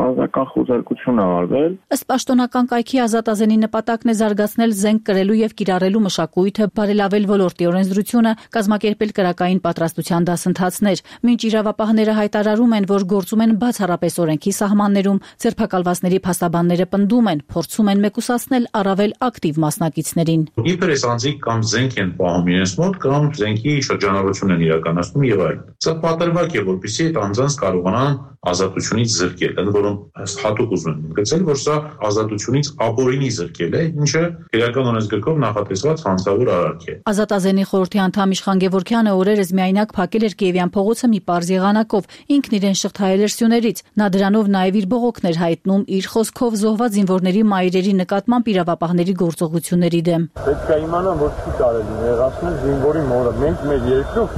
ազգական խոզարկություն է արվել։ Ըստ պաշտոնական կայքի ազատազենի նպատակն է զարգացնել զենք կրելու եւ կիրառելու մշակույթը, բարելավել ոլորտի օրենսդրությունը, կազմակերպել կրակային պատրաստության դասընթացներ։ Մինչ իրավապահները հայտարարում են, որ գործում են բացառապես օրենքի սահմաններում, ձերբակալվածների փաստաբանները պնդում են, փորձում են մեկուսացնել առավել ակտիվ մասնակիցներին։ Իբր այս անձիկ կամ զենք են պահում իրենց մոտ կամ զենքի շրջանառություն են իրականացնում եւ այլն։ Սա պատրվակ է, որպեսզի այդ անձանց կարողանան ազատությունից զրկել, ընդ որում հատուկ ուզում եմ գծել, որ սա ազատությունից ապօրինի զրկել է, ինչը իրական օրենսգրքով նախատեսված հանցավոր արարք է։ Ազատազենի խորհրդի անդամ Իշխան Գևորգյանը օրերս միայնակ փակել էր Կիևյան փողոցը մի պարզ եղանակով, ինքն իրեն շղթայել էր սյուներից, նա դրանով նաև իր բողոքն էր հայտնում իր խոսքով զոհված զինվորների մայրերի նկատմամբ իրավապահների գործողությունների դեմ։ Պետք է իմանան, որ չի կարելի նեղացնել զինվորի մորը, մենք մեր երկրով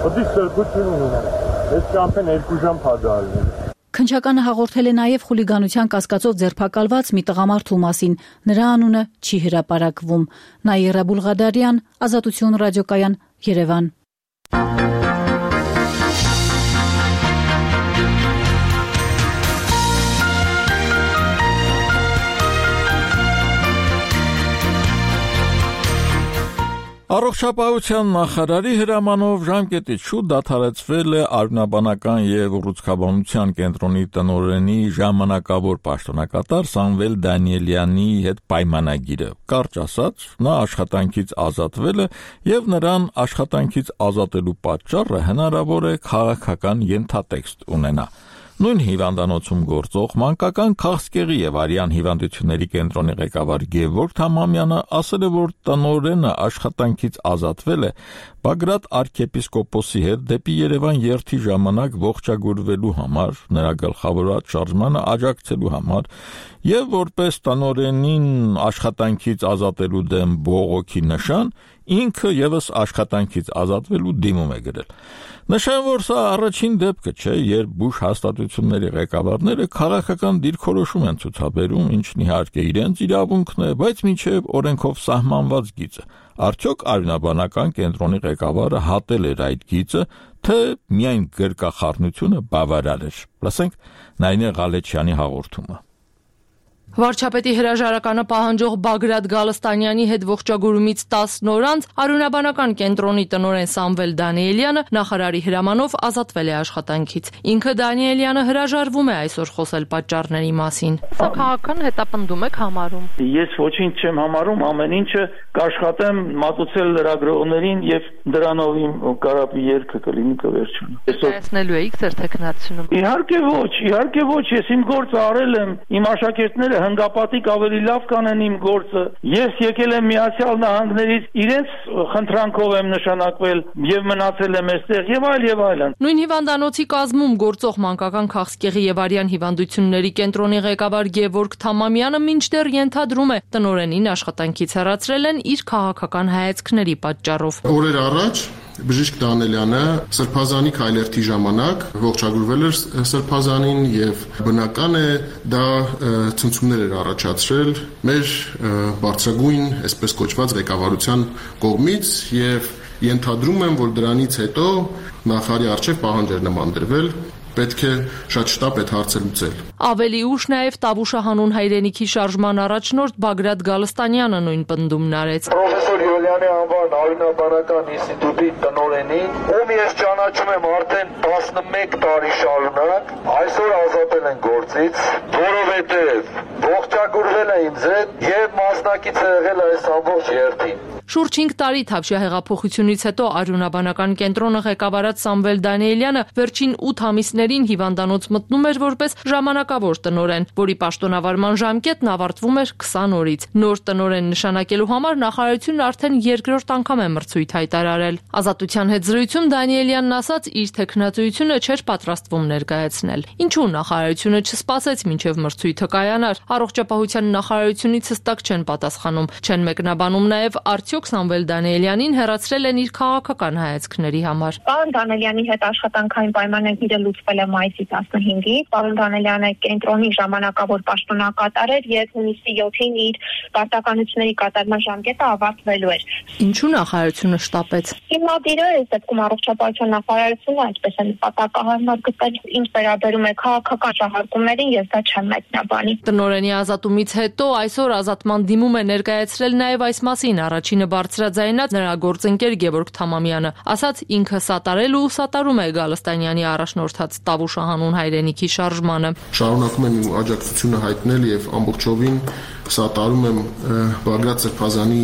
պետք է սրբություն ունենանք։ Այս ճամփեն 2 ժամ փադարել։ Քննչականը հաղորդել է նաև խուլիգանության կասկածով ձերբակալված մի տղամարդու մասին։ Նրա անունը չի հրապարակվում։ Նաիրա Բուլղադարյան, Ազատություն ռադիոկայան, Երևան։ Առողջապահության նախարարի հրամանով ժամկետից շուտ դադարեցվել է Արյունաբանական եւ ուռուցքաբանության կենտրոնի տնօրենի ժամանակավոր պաշտոնակատար Սամվել Դանիելյանի հետ պայմանագիրը։ Կարճ ասած, նա աշխատանքից ազատվել է եւ նրան աշխատանքից ազատելու պատճառը հնարավոր է քաղաքական ենթատեքստ ունենա։ Նույն հիվանդանոցում գործող մանկական քաղցկեղի եւ արյան հիվանդությունների կենտրոնի ղեկավար Գևորգ Թամամյանը ասել է, որ տնօրենը աշխատանքից ազատվել է Բագրատ arczepiskopos-ի հետ դեպի Երևան երթի ժամանակ ողջագուրվելու համար, նրա գլխավորած շարժմանը աջակցելու համար եւ որպես տնօրենին աշխատանքից ազատելու դեմ բողոքի նշան, ինքը եւս աշխատանքից ազատվելու դիմում է գրել։ Նշան, որ սա առաջին դեպքը չէ, երբ բուժ հաստատությունների ղեկավարները քաղաքական դիրքորոշում են ցուցաբերում, ինչն իհարկե իրենց իրավունքն է, բայց մինչև օրենքով սահմանված գիծը։ Արդյոք Արյունաբանական կենտրոնի ղեկավարը հատել էր այդ գիծը, թե միայն գրկախառնությունը բավարար էր։ Լսենք Նայինե Ղալեչյանի հաղորդումը։ Վարչապետի հրաժարականը պահանջող Բագրատ Գալստանյանի հետ ողջագուրումից 10 օր անց Արյունաբանական կենտրոնի տնօրեն Սամվել Դանիելյանը նախարարի հրամանով ազատվել է աշխատանքից։ Ինքը Դանիելյանը հրաժարվում է այսօր խոսել պատճառների մասին։ Սա քաղաքական հետապնդում եք համարում։ Ես ոչինչ չեմ համարում, ամեն ինչը կաշխատեմ մատուցել լրագրողներին եւ դրանով իմ կարապի երգը կլինի կվերջանա։ Տեսնելու եք ձեր տեխնացիոնում։ Իհարկե ոչ, ես իմ գործը արել եմ, իմ աշակերտները հնգապատիկ ավելի լավ կանեն իմ գործը։ Ես եկել եմ Միացյալ Նահանգներից, իրենց խնդրանքով եմ նշանակվել եւ մնացել եմ այստեղ եւ այլն։ Նույն հիվանդանոցի կազմում գործող մանկական քաղցկեղի եւ արյան հիվանդությունների կենտրոնի ղեկավար Գևորգ Թամամյանը մինչդեռ ենթադրում է, տնօրենին աշխատանքից հեռացրել են իր քաղաքական հայացքների պատճառով։ Օրեր առաջ Բժիշկ Դանիելյանը Սրբազանի քայլերթի ժամանակ ողջագրվել էր Սրբազանին եւ բնական է դա ցնցումներ էր առաջացրել մեր բարձրագույն, այսպես կոչված ղեկավարության կողմից եւ ենթադրում եմ, որ դրանից հետո նախարարի արչեւ պահանջ էր նման դրվել պետք է շատ շտապ այդ հարցը լուծել։ Ավելի ուշ նաև Տավուշահանուն հայրենիքի շարժման առաջնորդ Բագրատ Գալստանյանը նույն պնդումն արեց։ Պրոֆեսոր Յոլյանի անվան Արյունաբանական ինստիտուտի տնօրենին, ում ես ճանաչում եմ արդեն 11 տարի շարունակ, այսօր ազատել են գործից, որովհետև ողջագուրվել է ինձ հետ եւ մասնակից է եղել այս ամբողջ երթին։ Շուրջ 5 տարի Թավշյա հեղափոխությունից հետո Արյունաբանական կենտրոնը ղեկավարած Սամվել Դանիելյանը վերջին 8 ամիսներին հիվանդանոց մտնում էր որպես ժամանակավոր տնօրեն, որի պաշտոնավարման ժամկետն ավարտվում էր 20 օրից։ Նոր տնօրեն նշանակելու համար նախարարությունն արդեն երկրորդ անգամ է մրցույթ հայտարարել։ Ազատության հետ զրույցում Դանիելյանն ասաց, իր տեխնացիությունը չէր պատրաստվում ներկայացնել։ Ինչու նախարարությունը չսպասեց մինչև մրցույթը կայանար։ Առողջապահության նախարարությունից հստակ չեն պատասխանում, չեն մեկնաբանում նաև արդյոք Սամվել Դանիելյանին հեռացրել են իր քաղաքական հայացքների համար։ Պարոն Դանիելյանի հետ աշխատանքային պայմանագիրը լուծվել է մայիսի 15-ին։ Պարոն Դանիելյանը կենտրոնի ժամանակավոր պաշտոնակատար էր եւ հունիսի 7-ին իր պարտականությունների կատարման ժամկետը ավարտվելու էր։ Ինչու նախարարությունը շտապեց։ Հիմնադիրը այս դեպքում առողջապահության նախարարությունը այսպես է նպատակահարմար գտել, ինչ վերաբերում է քաղաքական շահարկումներին, ես դա չեմ մեկնաբանի։ Տնօրենի ազատումից հետո այսօր ազատման դիմում է ներկայացրել նաև այս մասին առաջինը բարձրաձայնած նրա գործընկեր Գևորգ Թամամյանը, ասաց ինքը սատարել ու սատարում է Գալստանյանի առաջնորդած Տավուշահանուն հայրենիքի շարժմանը։ Շարունակում եմ իմ աջակցությունը հայտնել եւ ամբողջովին սատարում եմ Բագրատ Սրբազանի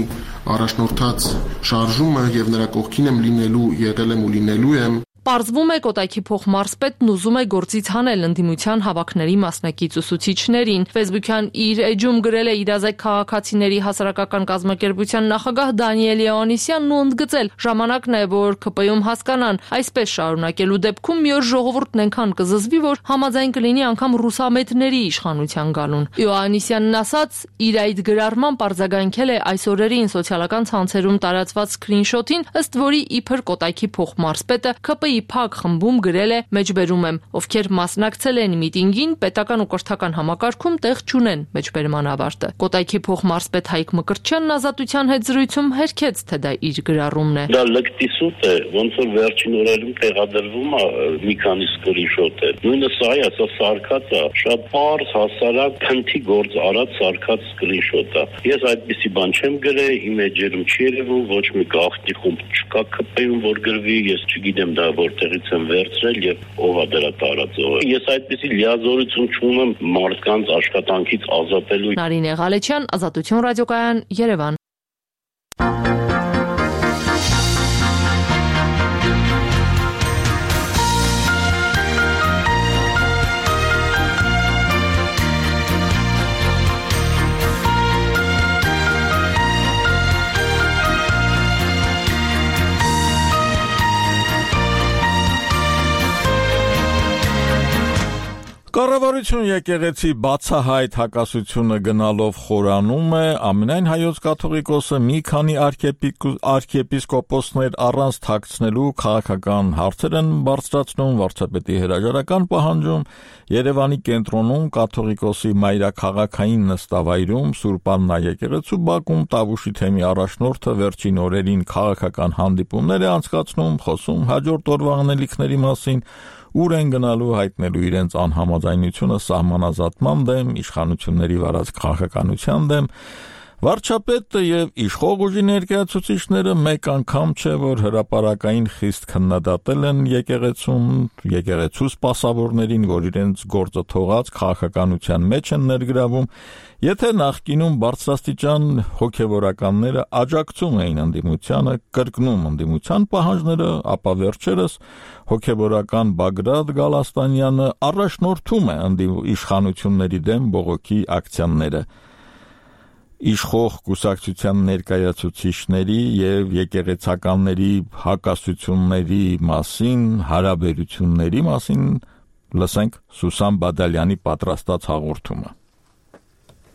առաջնորդած շարժումը եւ նրա կողքին եմ լինելու, եղել եմ ու լինելու եմ։ Պարզվում է Կոտայքի փոխմարզպետն ուզում է գործից հանել ընդդիմության հավաքների մասնակից ուսուցիչներին։ Facebook-յան իր էջում գրել է իրազեկ քաղաքացիների հասարակական կազմակերպության նախագահ Դանիել Յովհաննիսյանն ու ընդգծել. ժամանակն է, որ ԿՊ-ում հասկանան, այսպես շարունակելու դեպքում մի օր ժողովուրդն այնքան կզզվի, որ համաձայն կլինի անգամ ռուսամետների իշխանության գալուն։ Յովհաննիսյանն ասաց, իր այդ գրառման պարզագանքել է այս օրերին սոցիալական ցանցերում տարածված սկրինշոթին, ըստ որի իբր Կոտայքի փոխմարզպետը ԿՊ-ի փակ խմբում գրել է մեջբերում եմ, ովքեր մասնակցել են միտինգին, պետական ու կրթական համակարգում տեղ չունեն, մեջբերման ավարտը։ Կոտայքի փոխմարզպետ Հայկ Մկրտչյանն Ազատության հետ զրույցում հերքեց, թե դա իր գրառումն է։ Դա լկտիսուտ է, ոնց որ վերջին օրերում տեղադրվում է մի քանի սկրինշոթեր։ Նույնը սա է, սա սարքած է, շատ պարզ, հասարակ, քննի գործ արած սարքած սկրինշոթ է։ Ես այդպիսի բան չեմ գրել, իմ էջերում չի երևում, ոչ մի գաղտնի խումբ չկա ԿՊ-ում, որ գրվի, ես չգիտեմ դա որտեղից եմ վերցրել եւ ով է դրա տարածողը։ Ես այդպիսի լիազորություն չունեմ մարդկանց աշխատանքից ազատելու։ Նարինե Ղալեչյան, Ազատություն ռադիոկայան, Երևան։ Կառավարություն եկեղեցի բացահայտ հակասությունը գնալով խորանում է, ամենայն հայոց կաթողիկոսը մի քանի արքեպիսկոպոսներ առանց թաքցնելու քաղաքական հարցեր են բարձրացնում, վարչապետի հրաժարական պահանջում, Երևանի կենտրոնում կաթողիկոսի մայրաքաղաքային նստավայրում Սուրբ Աննա եկեղեցու բակում Տավուշի թեմի առաջնորդը վերջին օրերին քաղաքական հանդիպումներ է անցկացնում, խոսում հաջորդ օրվա անելիքների մասին, ուր են գնալու հայտնելու իրենց անհամաձայնությունը սահմանազատման դեմ, իշխանությունների վարած քաղաքականության դեմ, վարչապետը եւ իշխող ուժի ներկայացուցիչները մեկ անգամ չէ, որ հրապարակային խիստ քննադատել են եկեղեցու սպասավորներին, որ իրենց գործը թողած քաղաքականության մեջ են ներգրավում, եթե նախկինում բարձրաստիճան հոգևորականները աջակցում էին ընդդիմությանը, կրկնում ընդդիմության պահանջները, ապա վերջերս հոգևորական Բագրատ Գալստանյանը առաջնորդում է իշխանությունների դեմ բողոքի ակցիաները։ Իշխող կուսակցության ներկայացուցիչների եւ եկեղեցականների հակասությունների մասին, հարաբերությունների մասին լսենք Սուսան Բադալյանի պատրաստած հաղորդումը։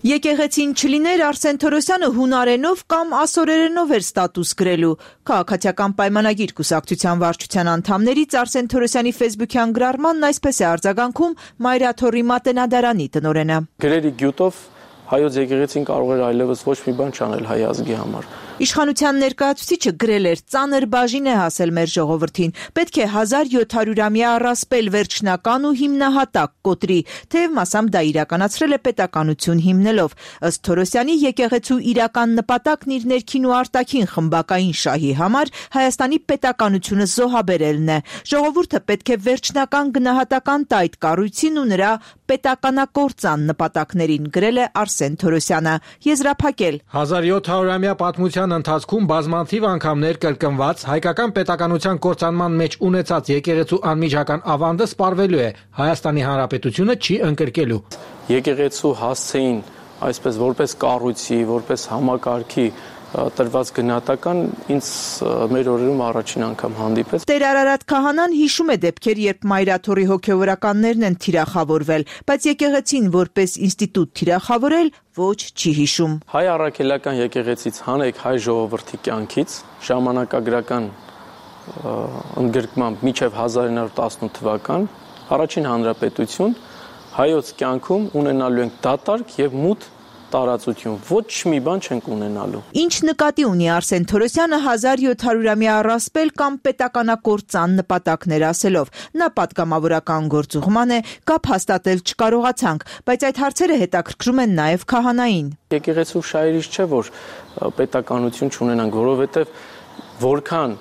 Եկեղեցին չլիներ Արսեն Թորոսյանը հունարենով կամ ասորերենով էր ստատուս գրելու։ Քաղաքացիական պայմանագիր կուսակցության վարչության անդամներից Արսեն Թորոսյանի Facebook-յան գրառմանն այսպես է արձագանքում Մայրաթորի մատենադարանի տնօրենը։ Գրերի գյուտով հայոց եկեղեցին կարող էր այլևս ոչ մի բան չանել հայ ազգի համար։ Իշխանության ներկայացուցիչը գրել էր. «Ծանր բաժին է հասել մեր ժողովրդին։ Պետք է 1700-ամյա առասպել վերջնական ու հիմնահատակ կոտրի, թեև մասամբ դա իրականացրել է պետականություն հիմնելով։ Ըստ Թորոսյանի եկեղեցու իրական նպատակն իր ներքին ու արտաքին խմբակային շահի համար Հայաստանի պետականությունը զոհաբերելն է։ Ժողովուրդը պետք է վերջնական գնահատական տա այդ կառույցին ու նրա պետականակործան նպատակներին», գրել է Արսեն Թորոսյանը։ Եզրափակել. 1700-ամյա պատմության ընթացքում բազմաթիվ անգամներ կրկնված հայկական պետականության կործանման մեջ ունեցած եկեղեցու անմիջական ավանդը սպառվելու է, Հայաստանի Հանրապետությունը չի ընկրկելու։ Եկեղեցու հասցեին այսպես որպես կառույցի, որպես համակարգի տրված գնահատական ինձ մեր օրերում առաջին անգամ հանդիպեց։ Տեր Արարատ Քահանան հիշում է դեպքեր, երբ մայրաթորի հոգևորականներն են թիրախավորվել, բայց եկեղեցին որպես ինստիտուտ թիրախավորել ոչ չի հիշում։ Հայ առաքելական եկեղեցից հանեք հայ ժողովրդի կյանքից ժամանակագրական ընդգրկմամբ մինչև 1918 թվական առաջին հանրապետություն հայոց կյանքում ունենալու ենք դատարկ եւ մութ տարածություն, ոչ մի բան չենք ունենալու։ Ինչ նկատի ունի Արսեն Թորոսյանը 1700-ամյա առասպել կամ պետականակործան նպատակներ ասելով։ Նա պատգամավորական գործուղման է, կապ հաստատել չկարողացանք, բայց այդ հարցերը հետաքրքրում են նաև քահանային։ Եկեղեցու շահերից չէ, որ պետականություն չունենանք, որովհետև որքան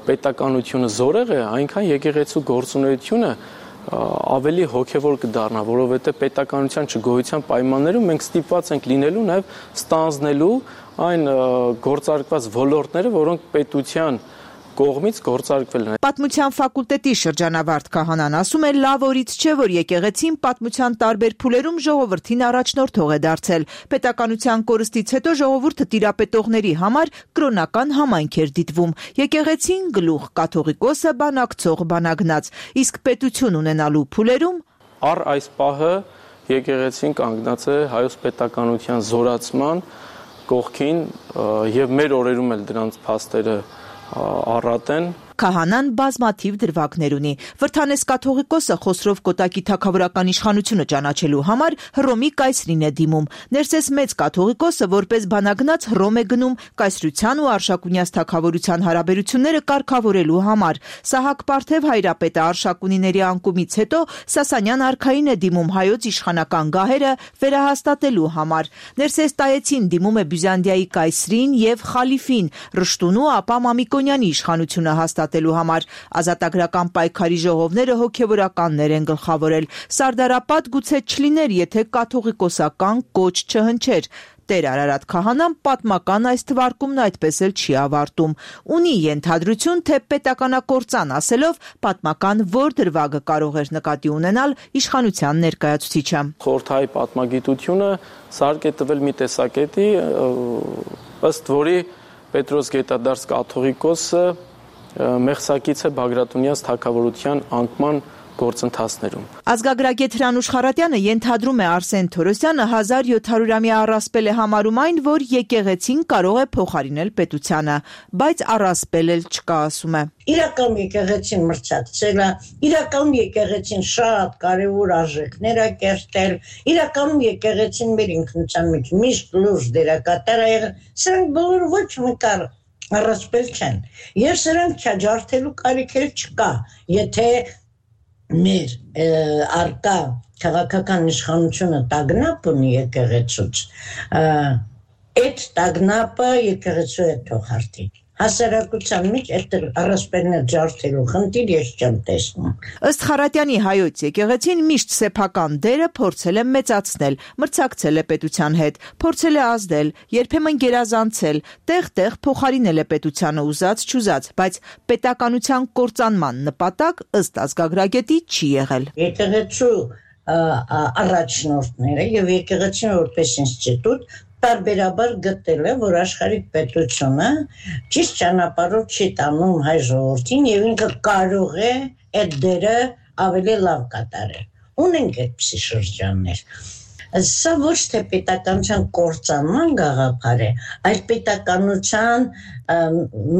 պետականությունը զորեղ է, այնքան եկեղեցու գործունեությունը ավելի հոգևոր կդառնա, որովհետև պետականության չգոյության պայմաններում մենք ստիպված ենք լինելու նաև ստանձնելու այն գործարկված ոլորտները, որոնք պետության կողմից գործարկվել են։ Պատմության ֆակուլտետի շրջանավարտ քահանան ասում է, լավ օրից չէ, որ եկեղեցին պատմության տարբեր փուլերում ժողովրդին առաջնորդող է դարձել։ Պետականության կորստից հետո ժողովուրդը տիրապետողների համար կրոնական համայնք էր դիտվում։ Եկեղեցին գլուխ կաթողիկոսը բանակցող բանագնաց, իսկ պետություն ունենալու փուլերում առ այս պահը եկեղեցին կանգնած է հայոց պետականության զորացման կողքին եւ մեր օրերում էլ դրանց փաստերը առատ են։ Քահանան բազմաթիվ դրվագներ ունի։ Վրթանես կաթողիկոսը Խոսրով Կոտակի թագավորական իշխանությունը ճանաչելու համար Հռոմի կայսրին է դիմում։ Ներսես մեծ կաթողիկոսը որպես բանագնաց Հռոմ է գնում կայսրության ու Արշակունյաց թագավորության հարաբերությունները կարգավորելու համար։ Սահակ Պարթև հայրապետը Արշակունիների անկումից հետո Սասանյան արքային է դիմում հայոց իշխանական գահերը վերահաստատելու համար։ Ներսես Տայեցին դիմում է Բյուզանդիայի կայսրին եւ խալիֆին Ռշտունու ապա Մամիկոնյանի իշխանությունը հաստատելու համար։ Ազատագրական պայքարի ժողովները հոգևորականներ են գլխավորել։ Սարդարապատ գուցե չլիներ, եթե կաթողիկոսական կոչ չհնչեր։ Տեր Արարատ Քահանան պատմական այս թվարկումն այդպես էլ չի ավարտում։ Ունի ենթադրություն, թե պետականակործան ասելով պատմական որ դրվագը կարող էր նկատի ունենալ իշխանության ներկայացուցիչը։ Խորհրդային պատմագիտությունը սարք է տվել մի տեսակետի, ըստ որի Պետրոս Գետադարս կաթողիկոսը մեղսակից է Բագրատունյաց թագավորության անկման գործընթացներում։ Ազգագրագետ Հրանուշ Խարատյանը ենթադրում է Արսեն Թորոսյանը 1700-ամյա առասպել է համարում այն, որ եկեղեցին կարող է փոխարինել պետությանը, բայց առասպել էլ չկա, ասում է։ Իրական եկեղեցին մրցակցել է, իրական եկեղեցին շատ կարևոր արժեքներ է կերտել, իրական եկեղեցին մեր ինքնության մեջ միշտ լուրջ դերակատար է եղել, սրանք բոլորը ոչ մի կար առասպել չեն, եւ սրանք չաջարդելու կարիք էլ չկա, եթե մեր արկա քաղաքական իշխանությունը տագնապ ունի եկեղեցուց, այդ տագնապը եկեղեցու է թողարկի։ Հասարակության մեջ այդ առասպելներ ջարդելու խնդիր ես չեմ տեսնում։ Ըստ Խարատյանի հայոց եկեղեցին միշտ սեփական դերը փորձել է մեծացնել, մրցակցել է պետության հետ, փորձել է ազդել, երբեմն գերազանցել, տեղ-տեղ փոխարինել է պետությանը ուզած-չուզած, բայց պետականության կործանման նպատակ ըստ ազգագրագետի չի եղել։ Եկեղեցու առաջնորդները եւ եկեղեցին որպես ինստիտուտ տարբերաբար գտել է, որ աշխարհիկ պետությունը ճիշտ ճանապարհով չի տանում հայ ժողովրդին եւ ինքը կարող է այդ դերը ավելի լավ կատարել։ Ունենք այդպիսի շրջաններ։ Սա ոչ թե պետականության կործանման գաղափար է, այլ պետականության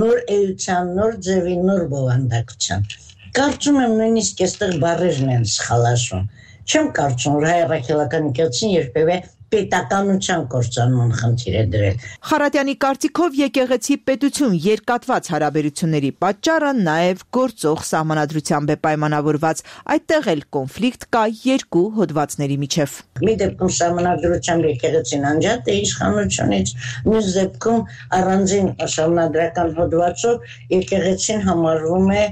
նոր էության, նոր ձևի, նոր բովանդակության։ Կարծում եմ նույնիսկ այստեղ բառերն են սխալաշուն։ Չեմ կարծում, որ հայ առաքելական եկեղեցին երբևէ պետականության կործանման խնդիր է դրել։ Խարատյանի կարծիքով եկեղեցի պետություն երկատված հարաբերությունների պատճառը նաև գործող սահմանադրությամբ է պայմանավորված, այդտեղ էլ կոնֆլիկտ կա երկու հոդվածների միջև։ Մի դեպքում սահմանադրությամբ եկեղեցին անջատ է իշխանությունից, մյուս դեպքում առանձին սահմանադրական հոդվածով եկեղեցին համարվում է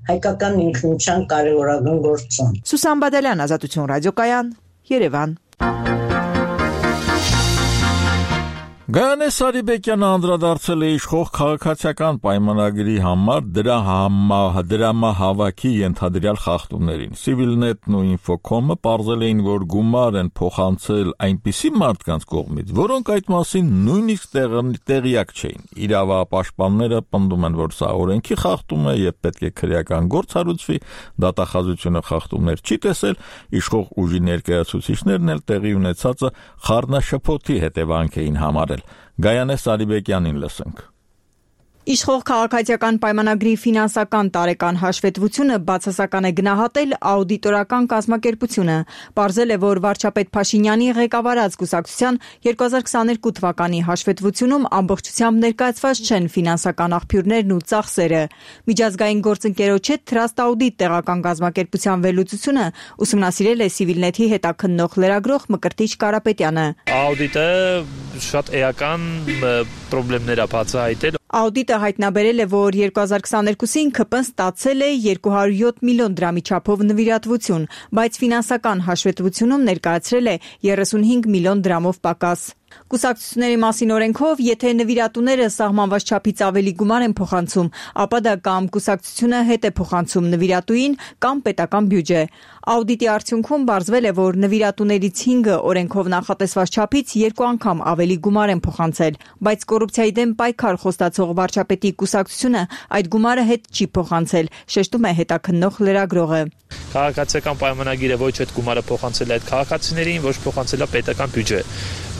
հայկական ինքնության կարևորագույն գործոն։ Սուսան Բադալյան, Ազատություն ռադիոկայան, Երևան։ Գայանե Սարիբեկյանը անդրադարձել է իշխող քաղաքացիական պայմանագրի համար դրամահավաքի ենթադրյալ խախտումներին։ Civilnet-ն ու Infocom-ը պարզել էին, որ գումար են փոխանցել այնպիսի մարդկանց կողմից, որոնք այդ մասին նույնիսկ տեղյակ չէին։ Իրավապաշտպանները պնդում են, որ սա օրենքի խախտում է եւ պետք է քրեական գործ հարուցվի, դատախազությունը խախտումներ չի տեսել, իշխող ուժի ներկայացուցիչներն էլ տեղի ունեցածը խառնաշփոթի հետևանք էին համարել։ Գայանե Սարիբեկյանին լսենք։ Իշխող քաղաքացիական պայմանագրի ֆինանսական տարեկան հաշվետվությունը բացասական է գնահատել աուդիտորական կազմակերպությունը։ Պարզել է, որ վարչապետ Փաշինյանի ղեկավարած կուսակցության 2022 թվականի հաշվետվությունում ամբողջությամբ ներկայացված չեն ֆինանսական աղբյուրներն ու ծախսերը։ Միջազգային գործընկերոջ հետ Trust Audit տեղական կազմակերպության վերլուծությունը ուսումնասիրել է Civilnet-ի հետաքննող լրագրող Մկրտիչ Կարապետյանը։ Աուդիտը շատ էական խնդիրներ է բացահայտել։ Աուդիտը հայտնաբերել է, որ 2022-ին ՔՊ-ն ստացել է 207 միլիոն դրամի չափով նվիրատվություն, բայց ֆինանսական հաշվետվությունում ներկայացրել է 35 միլիոն դրամով պակաս։ Կուսակցությունների մասին օրենքով, եթե նվիրատուները սահմանված չափից ավելի գումար են փոխանցում, ապա դա կամ կուսակցությունը հետ է փոխանցում նվիրատուին, կամ պետական բյուջե։ Աուդիտի արդյունքում պարզվել է, որ նվիրատուներից 5-ը օրենքով նախատեսված չափից 2 անգամ ավելի գումար են փոխանցել, բայց կոռուպցիայի դեմ պայքար խոստացող վարչապետի կուսակցությունը այդ գումարը հետ չի փոխանցել, շեշտում է հետաքննող լրագրողը։ Քաղաքացիական պայմանագիրը ոչ այդ գումարը փոխանցել է այդ քաղաքացիներին, ոչ փոխանցել է պետական բյուջե։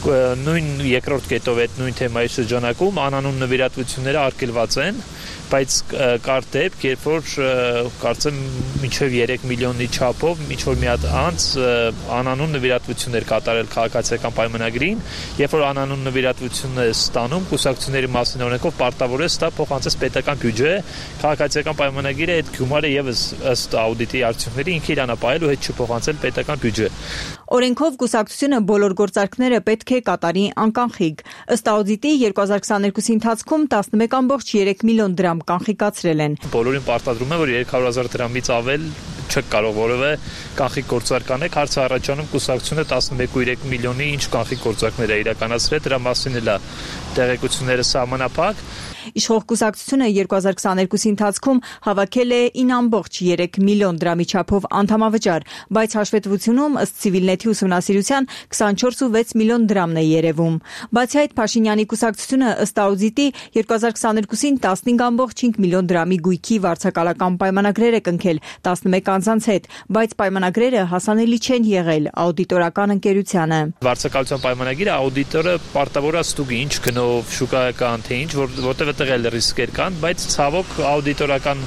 Նույն երկրորդ կետով այդ նույն թեմայի շրջանակում անանուն նվիրատվությունները արգելված են, բայց կար դեպք, երբ որ կարծեմ մինչև 3 միլիոնի չափով ինչ-որ մի հատ անց անանուն նվիրատվություններ կատարել քաղաքացիական պայմանագրին, երբ որ անանուն նվիրատվությունն է ստանում, կուսակցությունների մասին օրենքով պարտավոր է ստա փոխանցել պետական բյուջե, քաղաքացիական պայմանագիրը այդ գումարը եւս ըստ աուդիտի արդյունքների ինքը իրանապահել ու հետ չփոխանցել պետական բյուջե։ Օրենքով կուսակցությունը բոլոր գործարքները պետք է կատարի անկանխիկ։ Ըստ աուդիտի 2022-ի ընթացքում 11.3 միլիոն դրամ կանխիկացրել են։ Բոլորին պարտադրում է, որ 300,000 դրամից ավել չեք կարող որևէ կանխիկ գործարք անեք, հարցը առաջանում կուսակցությունը 11.3 միլիոնի ինչ կանխիկ գործարքներ է իրականացրել, դրա մասին էլ է տեղեկությունները սահմանափակ։ Իշխող կուսակցությունը 2022-ի ընթացքում հավաքել է 9.3 միլիոն դրամի չափով անդամավճար, բայց հաշվետվությունում ըստ Civilnet-ի ուսումնասիրության 24.6 միլիոն դրամն է երևում։ Բացի այդ, Փաշինյանի կուսակցությունը ըստ աուդիտի 2022-ին 15.5 միլիոն դրամի գույքի վարձակալական պայմանագրեր է կնքել 11 անձանց հետ, բայց պայմանագրերը հասանելի չեն եղել աուդիտորական ընկերությանը։ Վարձակալության պայմանագիրը աուդիտորը պարտավոր է ստուգի ինչ գնով, շուկայական թե ինչ, որտեղ տղել ռիսկեր կան, բայց ցավոք աուդիտորական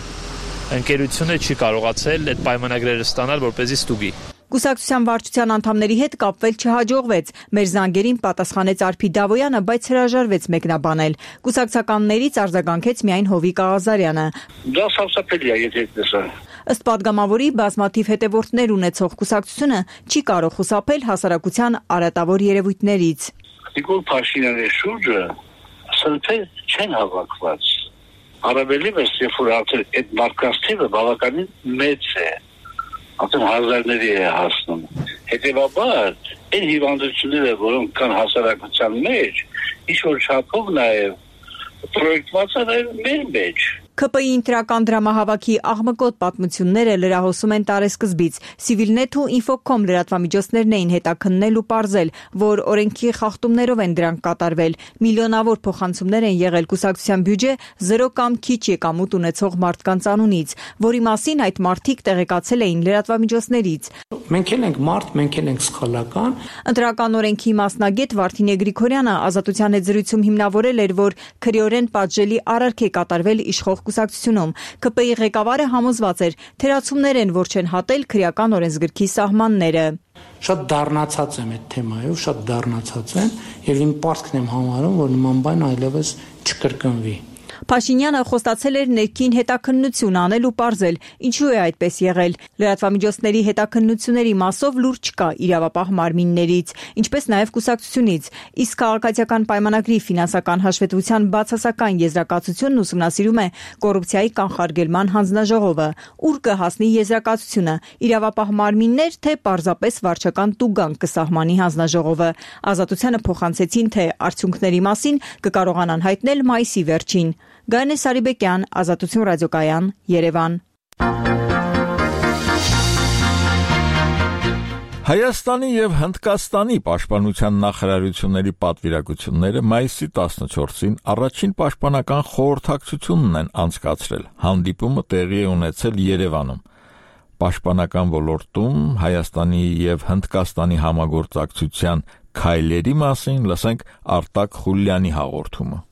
ընկերությունը չի կարողացել այդ պայմանագրերը ստանալ, որպեսզի ստուգի։ Կուսակցության վարչության անդամների հետ կապվել չհաջողվեց։ Մեր զանգերին պատասխանեց Արփի Դավոյանը, բայց հրաժարվեց մեկնաբանել։ Կուսակցականներից արձագանքեց միայն Հովիկ Աղազարյանը։ Դա սարսափելի է, եթե տեսա։ Ըստ падգամավորի բազմաթիվ հետևորդներ ունեցող կուսակցությունը չի կարող խուսափել հասարակության արատավոր երևույթներից։ Նիկոլ Փաշինյանի շուրջը սրբեր չեն հավաքված։ Առավելևս, երբ որ արդեն այդ մարդկանց թիվը բավականին մեծ է, արդեն հազարների է հասնում։ Հետևաբար, այն հիվանդությունները, որոնք կան հասարակության մեջ, ինչ-որ չափով նաև պրոյեկտված է նաև մեր մեջ։ ՔՊ-ի ինտրական դրամահավաքի աղմկոտ պատմությունները լրահոսում են տարեսկզբից։ Civilnet ու Infocom լրատվամիջոցներն էին հետաքննել ու պարզել, որ օրենքի խախտումներով են դրանք կատարվել։ Միլիոնավոր փոխանցումներ են եղել կուսակցության բյուջե 0 կամ քիչ եկամուտ ունեցող մարդկանց անունից, որի մասին այդ մարդիկ տեղեկացել էին լրատվամիջոցներից։ Մենք էլ ենք մարդ, մենք էլ ենք սխալական։ Ընտրական օրենքի մասնագետ Վարդինե Գրիգորյանը Ազատության հետ զրույցում հիմնավորել էր, որ քրեորեն պատժելի արարք է կատարվել իշխող կուսակցությունում։ ՔՊ-ի ղեկավարը համոզված էր, թերացումներ են, որ չեն հատել քրեական օրենսգրքի սահմանները։ Շատ դառնացած եմ այդ թեմայով, շատ դառնացած եմ, եւ իմ պարտքն եմ համարում, որ նման բան այլևս չկրկնվի։ Փաշինյանը խոստացել էր ներքին հետաքննություն անել ու պարզել, ինչու է այդպես եղել։ Լրատվամիջոցների հետաքննությունների մասով լուր չկա իրավապահ մարմիններից, ինչպես նաև կուսակցությունից, իսկ քաղաքացիական պայմանագրի ֆինանսական հաշվետվության բացասական եզրակացությունն ուսումնասիրում է կոռուպցիայի կանխարգելման հանձնաժողովը, ուր կհասնի եզրակացությունը՝ իրավապահ մարմիններ, թե պարզապես վարչական տուգանք կսահմանի հանձնաժողովը։ Ազատությանը փոխանցեցին, թե արդյունքների մասին կկարողանան հայտնել մայիսի վերջին։ Գայանե Սարիբեկյան, Ազատություն ռադիոկայան, Երևան։ Հայաստանի եւ Հնդկաստանի պաշտպանության նախարարությունների պատվիրակությունները մայիսի 14-ին առաջին պաշտպանական խորհրդակցությունն են անցկացրել։ Հանդիպումը տեղի է ունեցել Երևանում։ Պաշտպանական ոլորտում Հայաստանի եւ Հնդկաստանի համագործակցության քայլերի մասին լսենք Արտակ Խուլյանի հաղորդումը։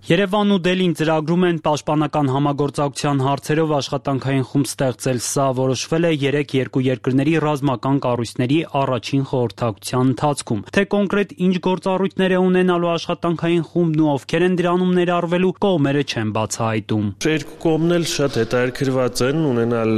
Երևանն ու Դելին ծրագրում են պաշտպանական համագործակցության հարցերով աշխատանքային խումբ ստեղծել։ Սա որոշվել է 3 երկրների ռազմական կառույցների առաջին խորհրդակցության ընթացքում։ Թե կոնկրետ ինչ գործառույթներ է ունենալու աշխատանքային խումբն ու ովքեր են դրանում ներառվելու, կողմերը չեն բացահայտում։ Երկու կողմն էլ շատ հետաքրքրված են ունենալ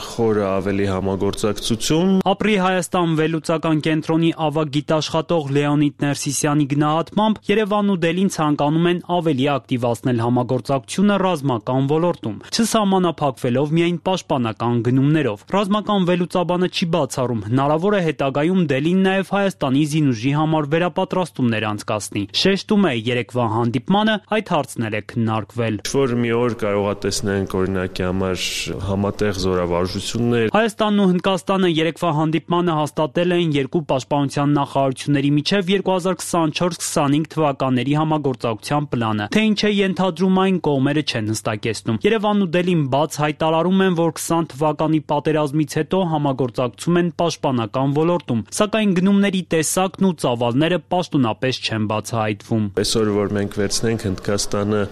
խորը ավելի համագործակցություն։ Ապրի Հայաստան վերլուծական կենտրոնի ավագ գիտաշխատող Լեոնիդ Ներսիսյանի գնահատմամբ Երևանն ու Դելին ցանկանում են ավելի ակտիվացնել համագործակցությունը ռազմական ոլորտում, չսահմանափակվելով միայն պաշտպանական գնումներով։ Ռազմական վերլուծաբանը չի բացառում, հնարավոր է հետագայում Դելին նաև Հայաստանի զինուժի համար վերապատրաստումներ անցկացնի։ Շեշտում է երեկվա հանդիպմանը այդ հարցներ է քննարկվել։ Որ մի օր կարողա տեսնենք օրինակի համար համատեղ զորավարժություններ։ Հայաստանն ու Հնդկաստանը երեկվա հանդիպմանը հաստատել են երկու պաշտպանության նախարարությունների միջև 2024-25 թվականների համագործակցության պլանը։ Թե ինչ է ենթադրում այն, կողմերը չեն հստակեցնում։ Երևանն ու Դելին բաց հայտարարում են, որ 20 թվականի պատերազմից հետո համագործակցում են պաշտպանական ոլորտում, սակայն գնումների տեսակն ու ծավալները պաշտոնապես չեն բացահայտվում։ Այսօր որ մենք վերցնենք Հնդկաստանը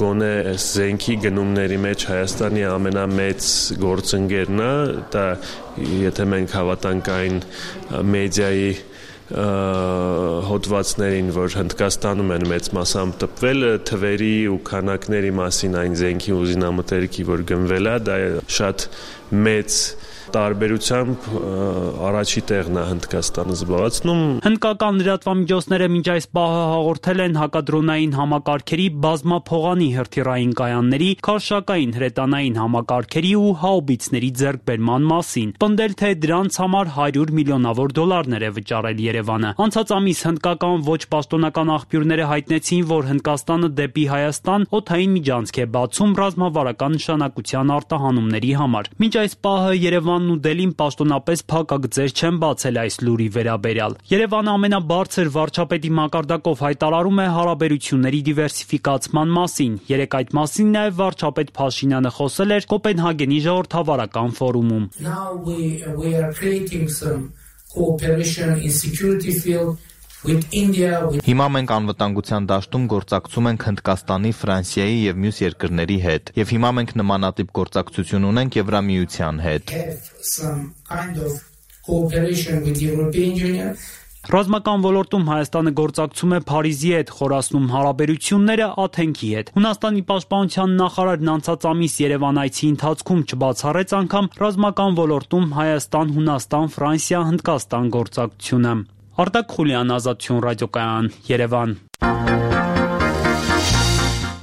գոնե զենքի գնումների մեջ Հայաստանի ամենամեծ գործընկերն է, դա եթե մենք հավատանք այն մեդիայի հոդվածներին, որ Հնդկաստանում են մեծ մասամբ տպվել, թվերի ու քանակների մասին այն զենքի ու զինամթերքի, որ գնվել է, դա շատ մեծ տարբերությամբ առաջի տեղն է Հնդկաստանը զբաղեցնում։ Հնդկական լրատվամիջոցները մինչ այս պահը հաղորդել են հակադրոնային համակարգերի, բազմափողանի հրթիռային կայանների, քարշակային հրետանային համակարգերի ու հաուբիցների ձեռքբերման մասին։ Պնդել, թե դրանց համար $100 միլիոնավոր է վճարել Երևանը։ Անցած ամիս հնդկական ոչ պաշտոնական աղբյուրները հայտնեցին, որ Հնդկաստանը դեպի Հայաստան օդային միջանցք է բացում ռազմավարական նշանակության արտահանումների համար։ Մինչ այս պահը Երևանն ու Դելին պաշտոնապես փակագծեր չեն բացել այս լուրի վերաբերյալ։ Երևանը ամենաբարձր վարչապետի մակարդակով հայտարարում է հարաբերությունների դիվերսիֆիկացման մասին։ Երեկ այդ մասին նաև վարչապետ Փաշինյանը խոսել էր Կոպենհագենի ժողովրդավարական ֆորումում։ Հիմա մենք անվտանգության դաշտում գործակցում ենք Հնդկաստանի, Ֆրանսիայի եւ մյուս երկրների հետ, եւ հիմա մենք նմանատիպ գործակցություն ունենք Եվրամիության հետ։ Ռազմական ոլորտում Հայաստանը գործակցում է Փարիզի հետ, խորացնում հարաբերությունները Աթենքի հետ։ Հունաստանի պաշտպանության նախարարն անցած ամիս Երևան այցի ընթացքում չբացառեց անգամ ռազմական ոլորտում Հայաստան, Հունաստան, Ֆրանսիա, Հնդկաստան գործակցությունը։ Արտակ Խուլյան, Ազատություն ռադիոկայան, Երևան։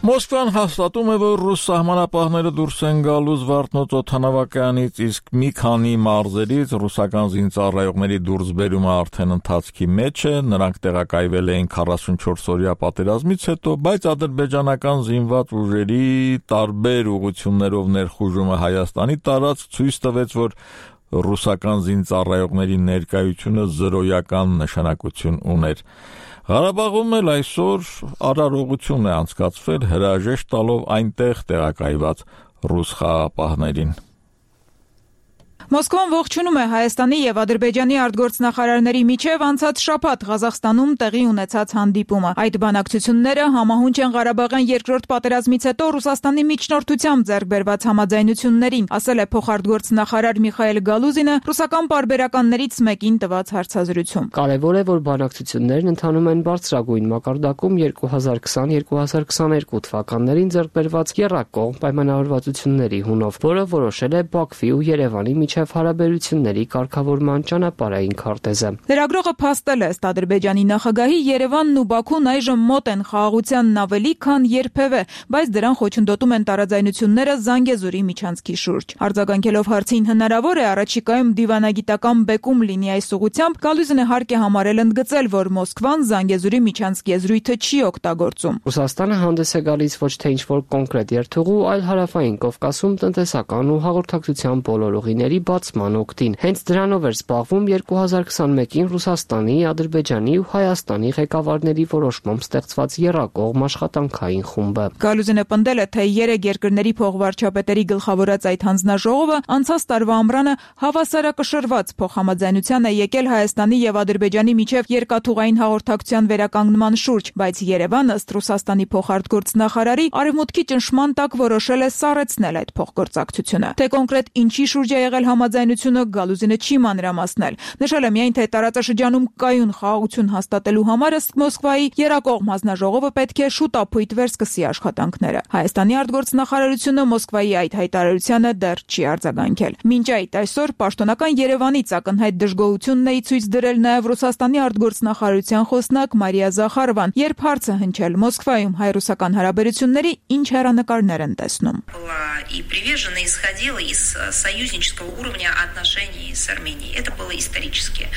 Մոսկվան հաստատում է, որ ռուս սահմանապահները դուրս են գալու Զվարթնոց օդանավակայանից, իսկ մի քանի մարզերից ռուսական զինծառայողների դուրսբերումը արդեն ընթացքի մեջ է։ Նրանք տեղակայվել էին 44-օրյա պատերազմից հետո, բայց ադրբեջանական զինված ուժերի տարբեր ուղղություններով ներխուժումը Հայաստանի տարածք ցույց տվեց, որ ռուսական զինծառայողների ներկայությունը զրոյական նշանակություն ուներ։ Ղարաբաղում էլ այսօր արարողություն է անցկացվել հրաժեշտ տալով այնտեղ տեղակայված ռուս խաղաղապահներին։ Մոսկվան ողջունում է Հայաստանի եւ Ադրբեջանի արտգործնախարարների միջև անցած շաբաթ Ղազախստանում տեղի ունեցած հանդիպումը։ Այդ բանակցությունները համահունչ են Ղարաբաղյան երկրորդ պատերազմից հետո Ռուսաստանի միջնորդությամբ ձեռք բերված համաձայնություններին, ասել է փոխարտգործնախարար Միխայել Գալուզինը ռուսական պարբերականներից մեկին տված հարցազրույցում։ Կարևոր է, որ բանակցություններն ընթանում են բարձրագույն մակարդակում 2020-2022 թվականներին ձեռք բերված եռակողմ պայմանավորվածությունների հունով, որը որոշել է Բաքվի ու Երևանի միջև հարաբերությունների կարգավորման ճանապարհային քարտեզը։ Լրագրողը փաստել է, ըստ Ադրբեջանի նախագահի, Երևանն ու Բաքուն այժմ մոտ են խաղաղությանն ավելի, քան երբևէ, բայց դրան խոչընդոտում են տարաձայնությունները Զանգեզուրի միջանցքի շուրջ։ Արձագանքելով հարցին հնարավոր է առաջիկայում դիվանագիտական բեկում լինի այս ուղղությամբ, Գալուզինը հարկ է համարել ընդգծել, որ Մոսկվան Զանգեզուրի միջանցքի եզրույթը չի օգտագործում։ Ռուսաստանը հանդես է գալիս ոչ թե ինչ-որ կոնկրետ երթուղու, այլ հարավային Կովկասում տնտեսական ու հաղորդակցության բոլոր ուղիների բացման օգտին։ Հենց դրանով էր զբաղվում 2021-ին Ռուսաստանի, Ադրբեջանի ու Հայաստանի ղեկավարների որոշմամբ ստեղծված եռակողմ աշխատանքային խումբը։ Գալուզինը պնդել է, թե 3 երկրների փոխվարչապետերի գլխավորած այդ հանձնաժողովը անցած տարվա ամռանը հավասարակշռված փոխհամաձայնության է եկել Հայաստանի եւ Ադրբեջանի միջև երկաթուղային հաղորդակցության վերականգնման շուրջ, բայց Երևանը, ըստ Ռուսաստանի փոխարտգործնախարարի, Արևմուտքի ճնշման տակ որոշել է սառեցնել այդ փոխգործակցությունը։ Թե կոնկրետ ինչի շուրջ է եղել համաձայնությունը, Գալուզինը չի մանրամասնել։ Նշել է միայն, թե տարածաշրջանում կայուն խաղաղություն հաստատելու համար ըստ Մոսկվայի եռակողմ հանձնաժողովը պետք է շուտ ապույտ վերսկսի աշխատանքները։ Հայաստանի արտգործնախարարությունը Մոսկվայի այդ հայտարարությանը դեռ չի արձագանքել։ Մինչ այդ այսօր պաշտոնական Երևանից ակնհայտ դժգոհությունն է ցույց դրել նաև Ռուսաստանի արտգործնախարարության խոսնակ Մարիա Զախարովան, երբ հարցը հնչել Մոսկվայում հայ-ռուսական հարաբերությունների ինչ հեռանկարներ են տեսնում։ И приверженно исходила из союзнического уровня отношений с Арменией. Это было исторически.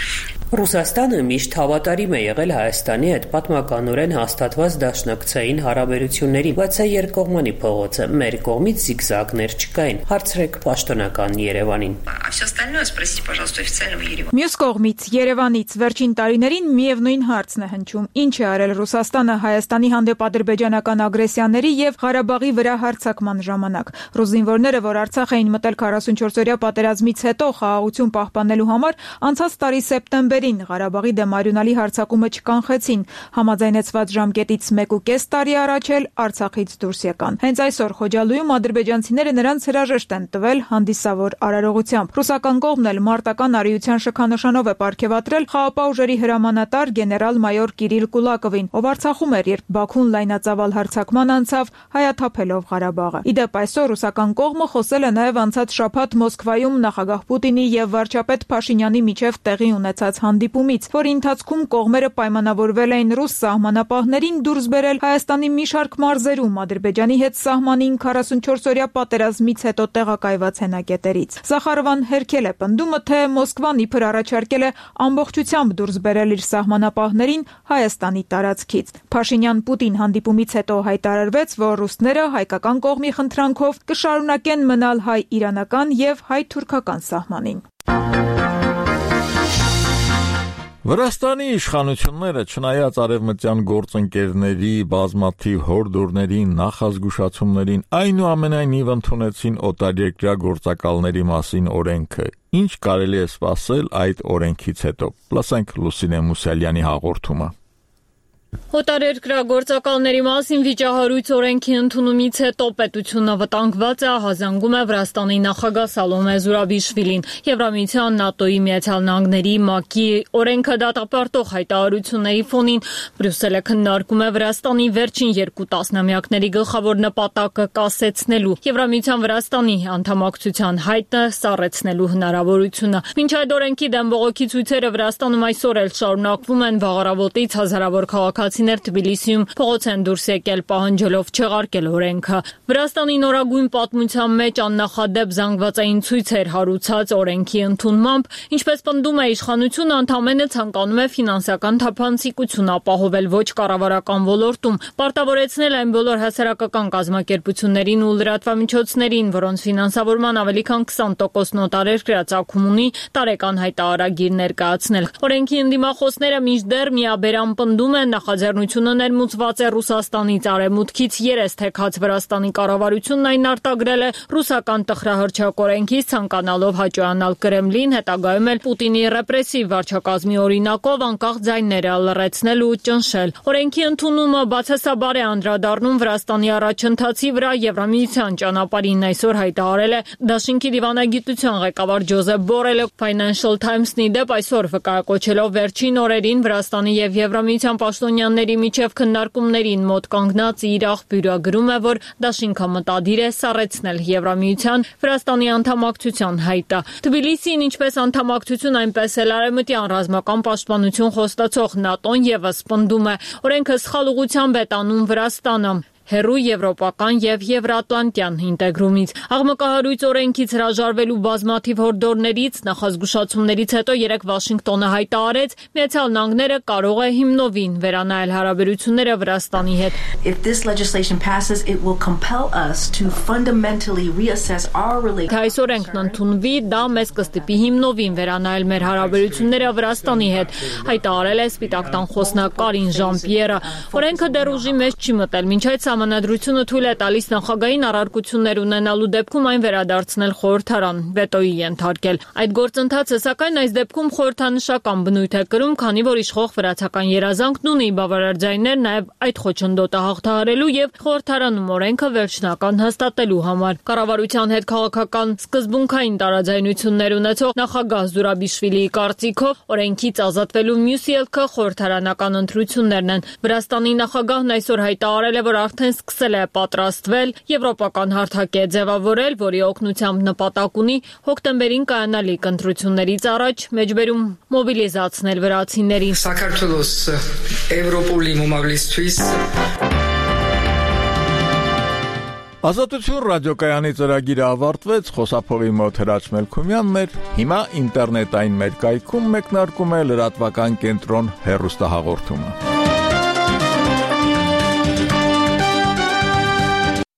Ռուսաստանը միշտ հավատարիմ է եղել Հայաստանի հետ պատմականորեն հաստատված դաշնակցային հարաբերություններին, բայց սա երկկողմանի փողոց է, մեր կողմից զիգզագներ չկային։ Հարցրեք պաշտոնական Երևանին։ А все остальное спросите, пожалуйста, официального Еревана. Մյուս կողմից Երևանից վերջին տարիներին միևնույն հարցն է հնչում. ինչ է արել Ռուսաստանը Հայաստանի հանդեպ ադրբեջանական ագրեսիաների եւ Ղարաբաղի վրա հարձակման ժամանակ։ Ռուս զինվորները, որ Արցախ էին մտել 44-օրյա պատերազմից հետո խաղաղություն պահպանելու համար, անցած տարի սեպտեմբերին Ղարաբաղի դեմ արյունալի հարձակումը չկանխեցին։ Համաձայնեցված ժամկետից 1.5 տարի առաջ էլ Արցախից դուրս եկան։ Հենց այսօր Խոջալույում ադրբեջանցիները նրանց հրաժեշտ են տվել հանդիսավոր արարողությամբ։ Ռուսական կողմն էլ մարտական արիության շքանշանով է պարգևատրել խաղապահ ուժերի հրամանատար գեներալ-մայոր Կիրիլ Կուլակովին, ով Արցախում էր, երբ Բաքուն լայնածավալ հարձակման անցավ, հայաթափելով Ղարաբաղը։ Իդեպ այսօր ռուսական կողմը խոսել է նաև անցած շաբաթ Մոսկվայում նախագահ Պուտինի եւ վարչապետ Փաշինյանի միջև տեղի ունեցած հանդիպումից, որի ընթացքում կողմերը պայմանավորվել էին ռուս սահմանապահներին դուրս բերել Հայաստանի մի շարք մարզերում Ադրբեջանի հետ սահմանին 44-օրյա պատերազմից հետո տեղակայված հենակետերից։ Զախարովան հերքել է պնդումը, թե Մոսկվան իբր առաջարկել է ամբողջությամբ դուրս բերել իր սահմանապահներին Հայաստանի տարածքից։ Փաշինյան-Պուտին հանդիպումից հետո հայտարարվեց, որ ռուսները հայկական կողմի խնդրանքով կշարունակեն մնալ հայ-իրանական եւ հայ-թուրքական սահմանին։ Վրաստանի իշխանությունները, չնայած արևմտյան գործընկերների բազմաթիվ հորդորներին, նախազգուշացումներին, այնուամենայնիվ ընդունեցին օտարերկրյա գործակալների մասին օրենքը։ Ինչ կարելի է սպասել այդ օրենքից հետո։ Լսենք Լուսինե Մուսալյանի հաղորդումը։ Օտարերկրագործակալների մասին վիճահարույց օրենքի ընդունումից հետո պետությունը վտանգված է, ահազանգում է Վրաստանի նախագահ Սալոմե Զուրաբիշվիլին։ Եվրամիության, ՆԱՏՕ-ի, Միացյալ Նահանգների, ՄԱԿ-ի օրենքը դատապարտող հայտարարությունների ֆոնին Բրյուսելը քննարկում է Վրաստանի վերջին 2 տասնամյակների գլխավոր նպատակը կասեցնելու, Եվրամիության Վրաստանի անդամակցության հայտը սառեցնելու հնարավորությունը։ Մինչ այդ օրենքի դեմ բողոքի ցույցերը Վրաստանում այսօր էլ շարունակվում են, վաղարավոտից հազարավոր քաղաքացիներ Թբիլիսիում փողոց են դուրս եկել պահանջելով չեղարկել օրենքը։ Վրաստանի նորագույն պատմության մեջ աննախադեպ զանգվածային ցույց էր հարուցած օրենքի ընդունմամբ, ինչպես պնդում է իշխանությունը, ընդամենը ցանկանում է ֆինանսական թափանցիկություն ապահովել ոչ կառավարական ոլորտում, պարտավորեցնել այն բոլոր հասարակական կազմակերպություններին ու լրատվամիջոցներին, որոնց ֆինանսավորման ավելի քան 20% օտարերկրյա ծագում ունի, տարեկան հայտարարագիր ներկայացնել։ Օրենքի ընդդիմախոսները մինչդեռ միաբերան պնդում են նախաձեռնությունը ներմուծված է Ռուսաստանից արևմուտքից երես թեքած Վրաստանի կառավարությունն այն արտագրել է ռուսական տխրահռչակ օրենքից, ցանկանալով հաճոյանալ Կրեմլին, հետագայում էլ Պուտինի ռեպրեսիվ վարչակազմի օրինակով անկախ ձայները լռեցնել ու ճնշել։ Օրենքի ընդունումը բացասաբար է անդրադառնում Վրաստանի առաջընթացի վրա Եվրամիության ճանապարհին, այսօր հայտարարել է Դաշինքի դիվանագիտության ղեկավար Ջոզեփ Բորելը Financial Times-ի դեպ այսօր վկայակոչելով վերջին օրերին Վրաստանի եւ Եվրամիության պաշտոնյաների միջև քննարկումներին մոտ կանգնած իր աղբյուրը գրում է, որ Դաշինքը մտադիր է սառեցնել Եվրամիության Վրաստանի անդամակցության հայտը։ Թբիլիսին ինչպես անդամակցություն, այնպես էլ արևմտյան ռազմական պաշտպանություն խոստացող ՆԱՏՕ-ն եւս պնդում է, օրենքը սխալ ուղղությամբ է տանում Վրաստանը հերու եվրոպական եւ եվրատլանտյան ինտեգրումից։ Աղմկահարույց օրենքից հրաժարվելու բազմաթիվ հորդորներից, նախազգուշացումներից հետո երեկ Վաշինգտոնը հայտարարեց, Միացյալ Նահանգները կարող է հիմնովին վերանայել հարաբերությունները Վրաստանի հետ։ Այս օրենքն ընդունվի, դա մեզ կստիպի հիմնովին վերանայել մեր հարաբերությունները Վրաստանի հետ, հայտարարել է Սպիտակ տան խոսնակ Կարին Ժան-Պիերը։ Օրենքը դեռ ուժի մեջ չի մտել, մինչ այդ Սահմանադրությունը թույլ է տալիս նախագահային առարկություններ ունենալու դեպքում այն վերադարձնել խորհրդարան, վետոյի ենթարկել։ Այդ գործընթացը, սակայն այս դեպքում խորհրդանշական բնույթ է կրում, քանի որ իշխող վրացական երազանքն ունի բավարար ձայներ նաև այդ խոչընդոտը հաղթահարելու եւ խորհրդարանում օրենքը վերջնական հաստատելու համար։ Կառավարության հետ քաղաքական սկզբունքային տարաձայնություններ ունեցող նախագահ Զուրաբիշվիլիի կարծիքով օրենքից ազատվելու մյուս ելքը խորհրդարանական ընտրություններն են։ Վրաստանի նախագահն այսօր հայտարարել է, որ արդեն սկսել է պատրաստվել, եվրոպական հարթակ է ձևավորել, որի օգնությամբ նպատակ ունի հոկտեմբերին կայանալիք ընտրություններից առաջ մեջբերում մոբիլիզացնել վրացիներին։ Საქართველოს Եվրոպոլի մոբիլիզացույց Ազատություն ռադիոկայանի ծրագիրը ավարտվեց, խոսափողի մոտ Հրաչ Մելքումյանն էր, հիմա ինտերնետային մեր կայքում մեկնարկում է լրատվական կենտրոն հեռուստահաղորդումը։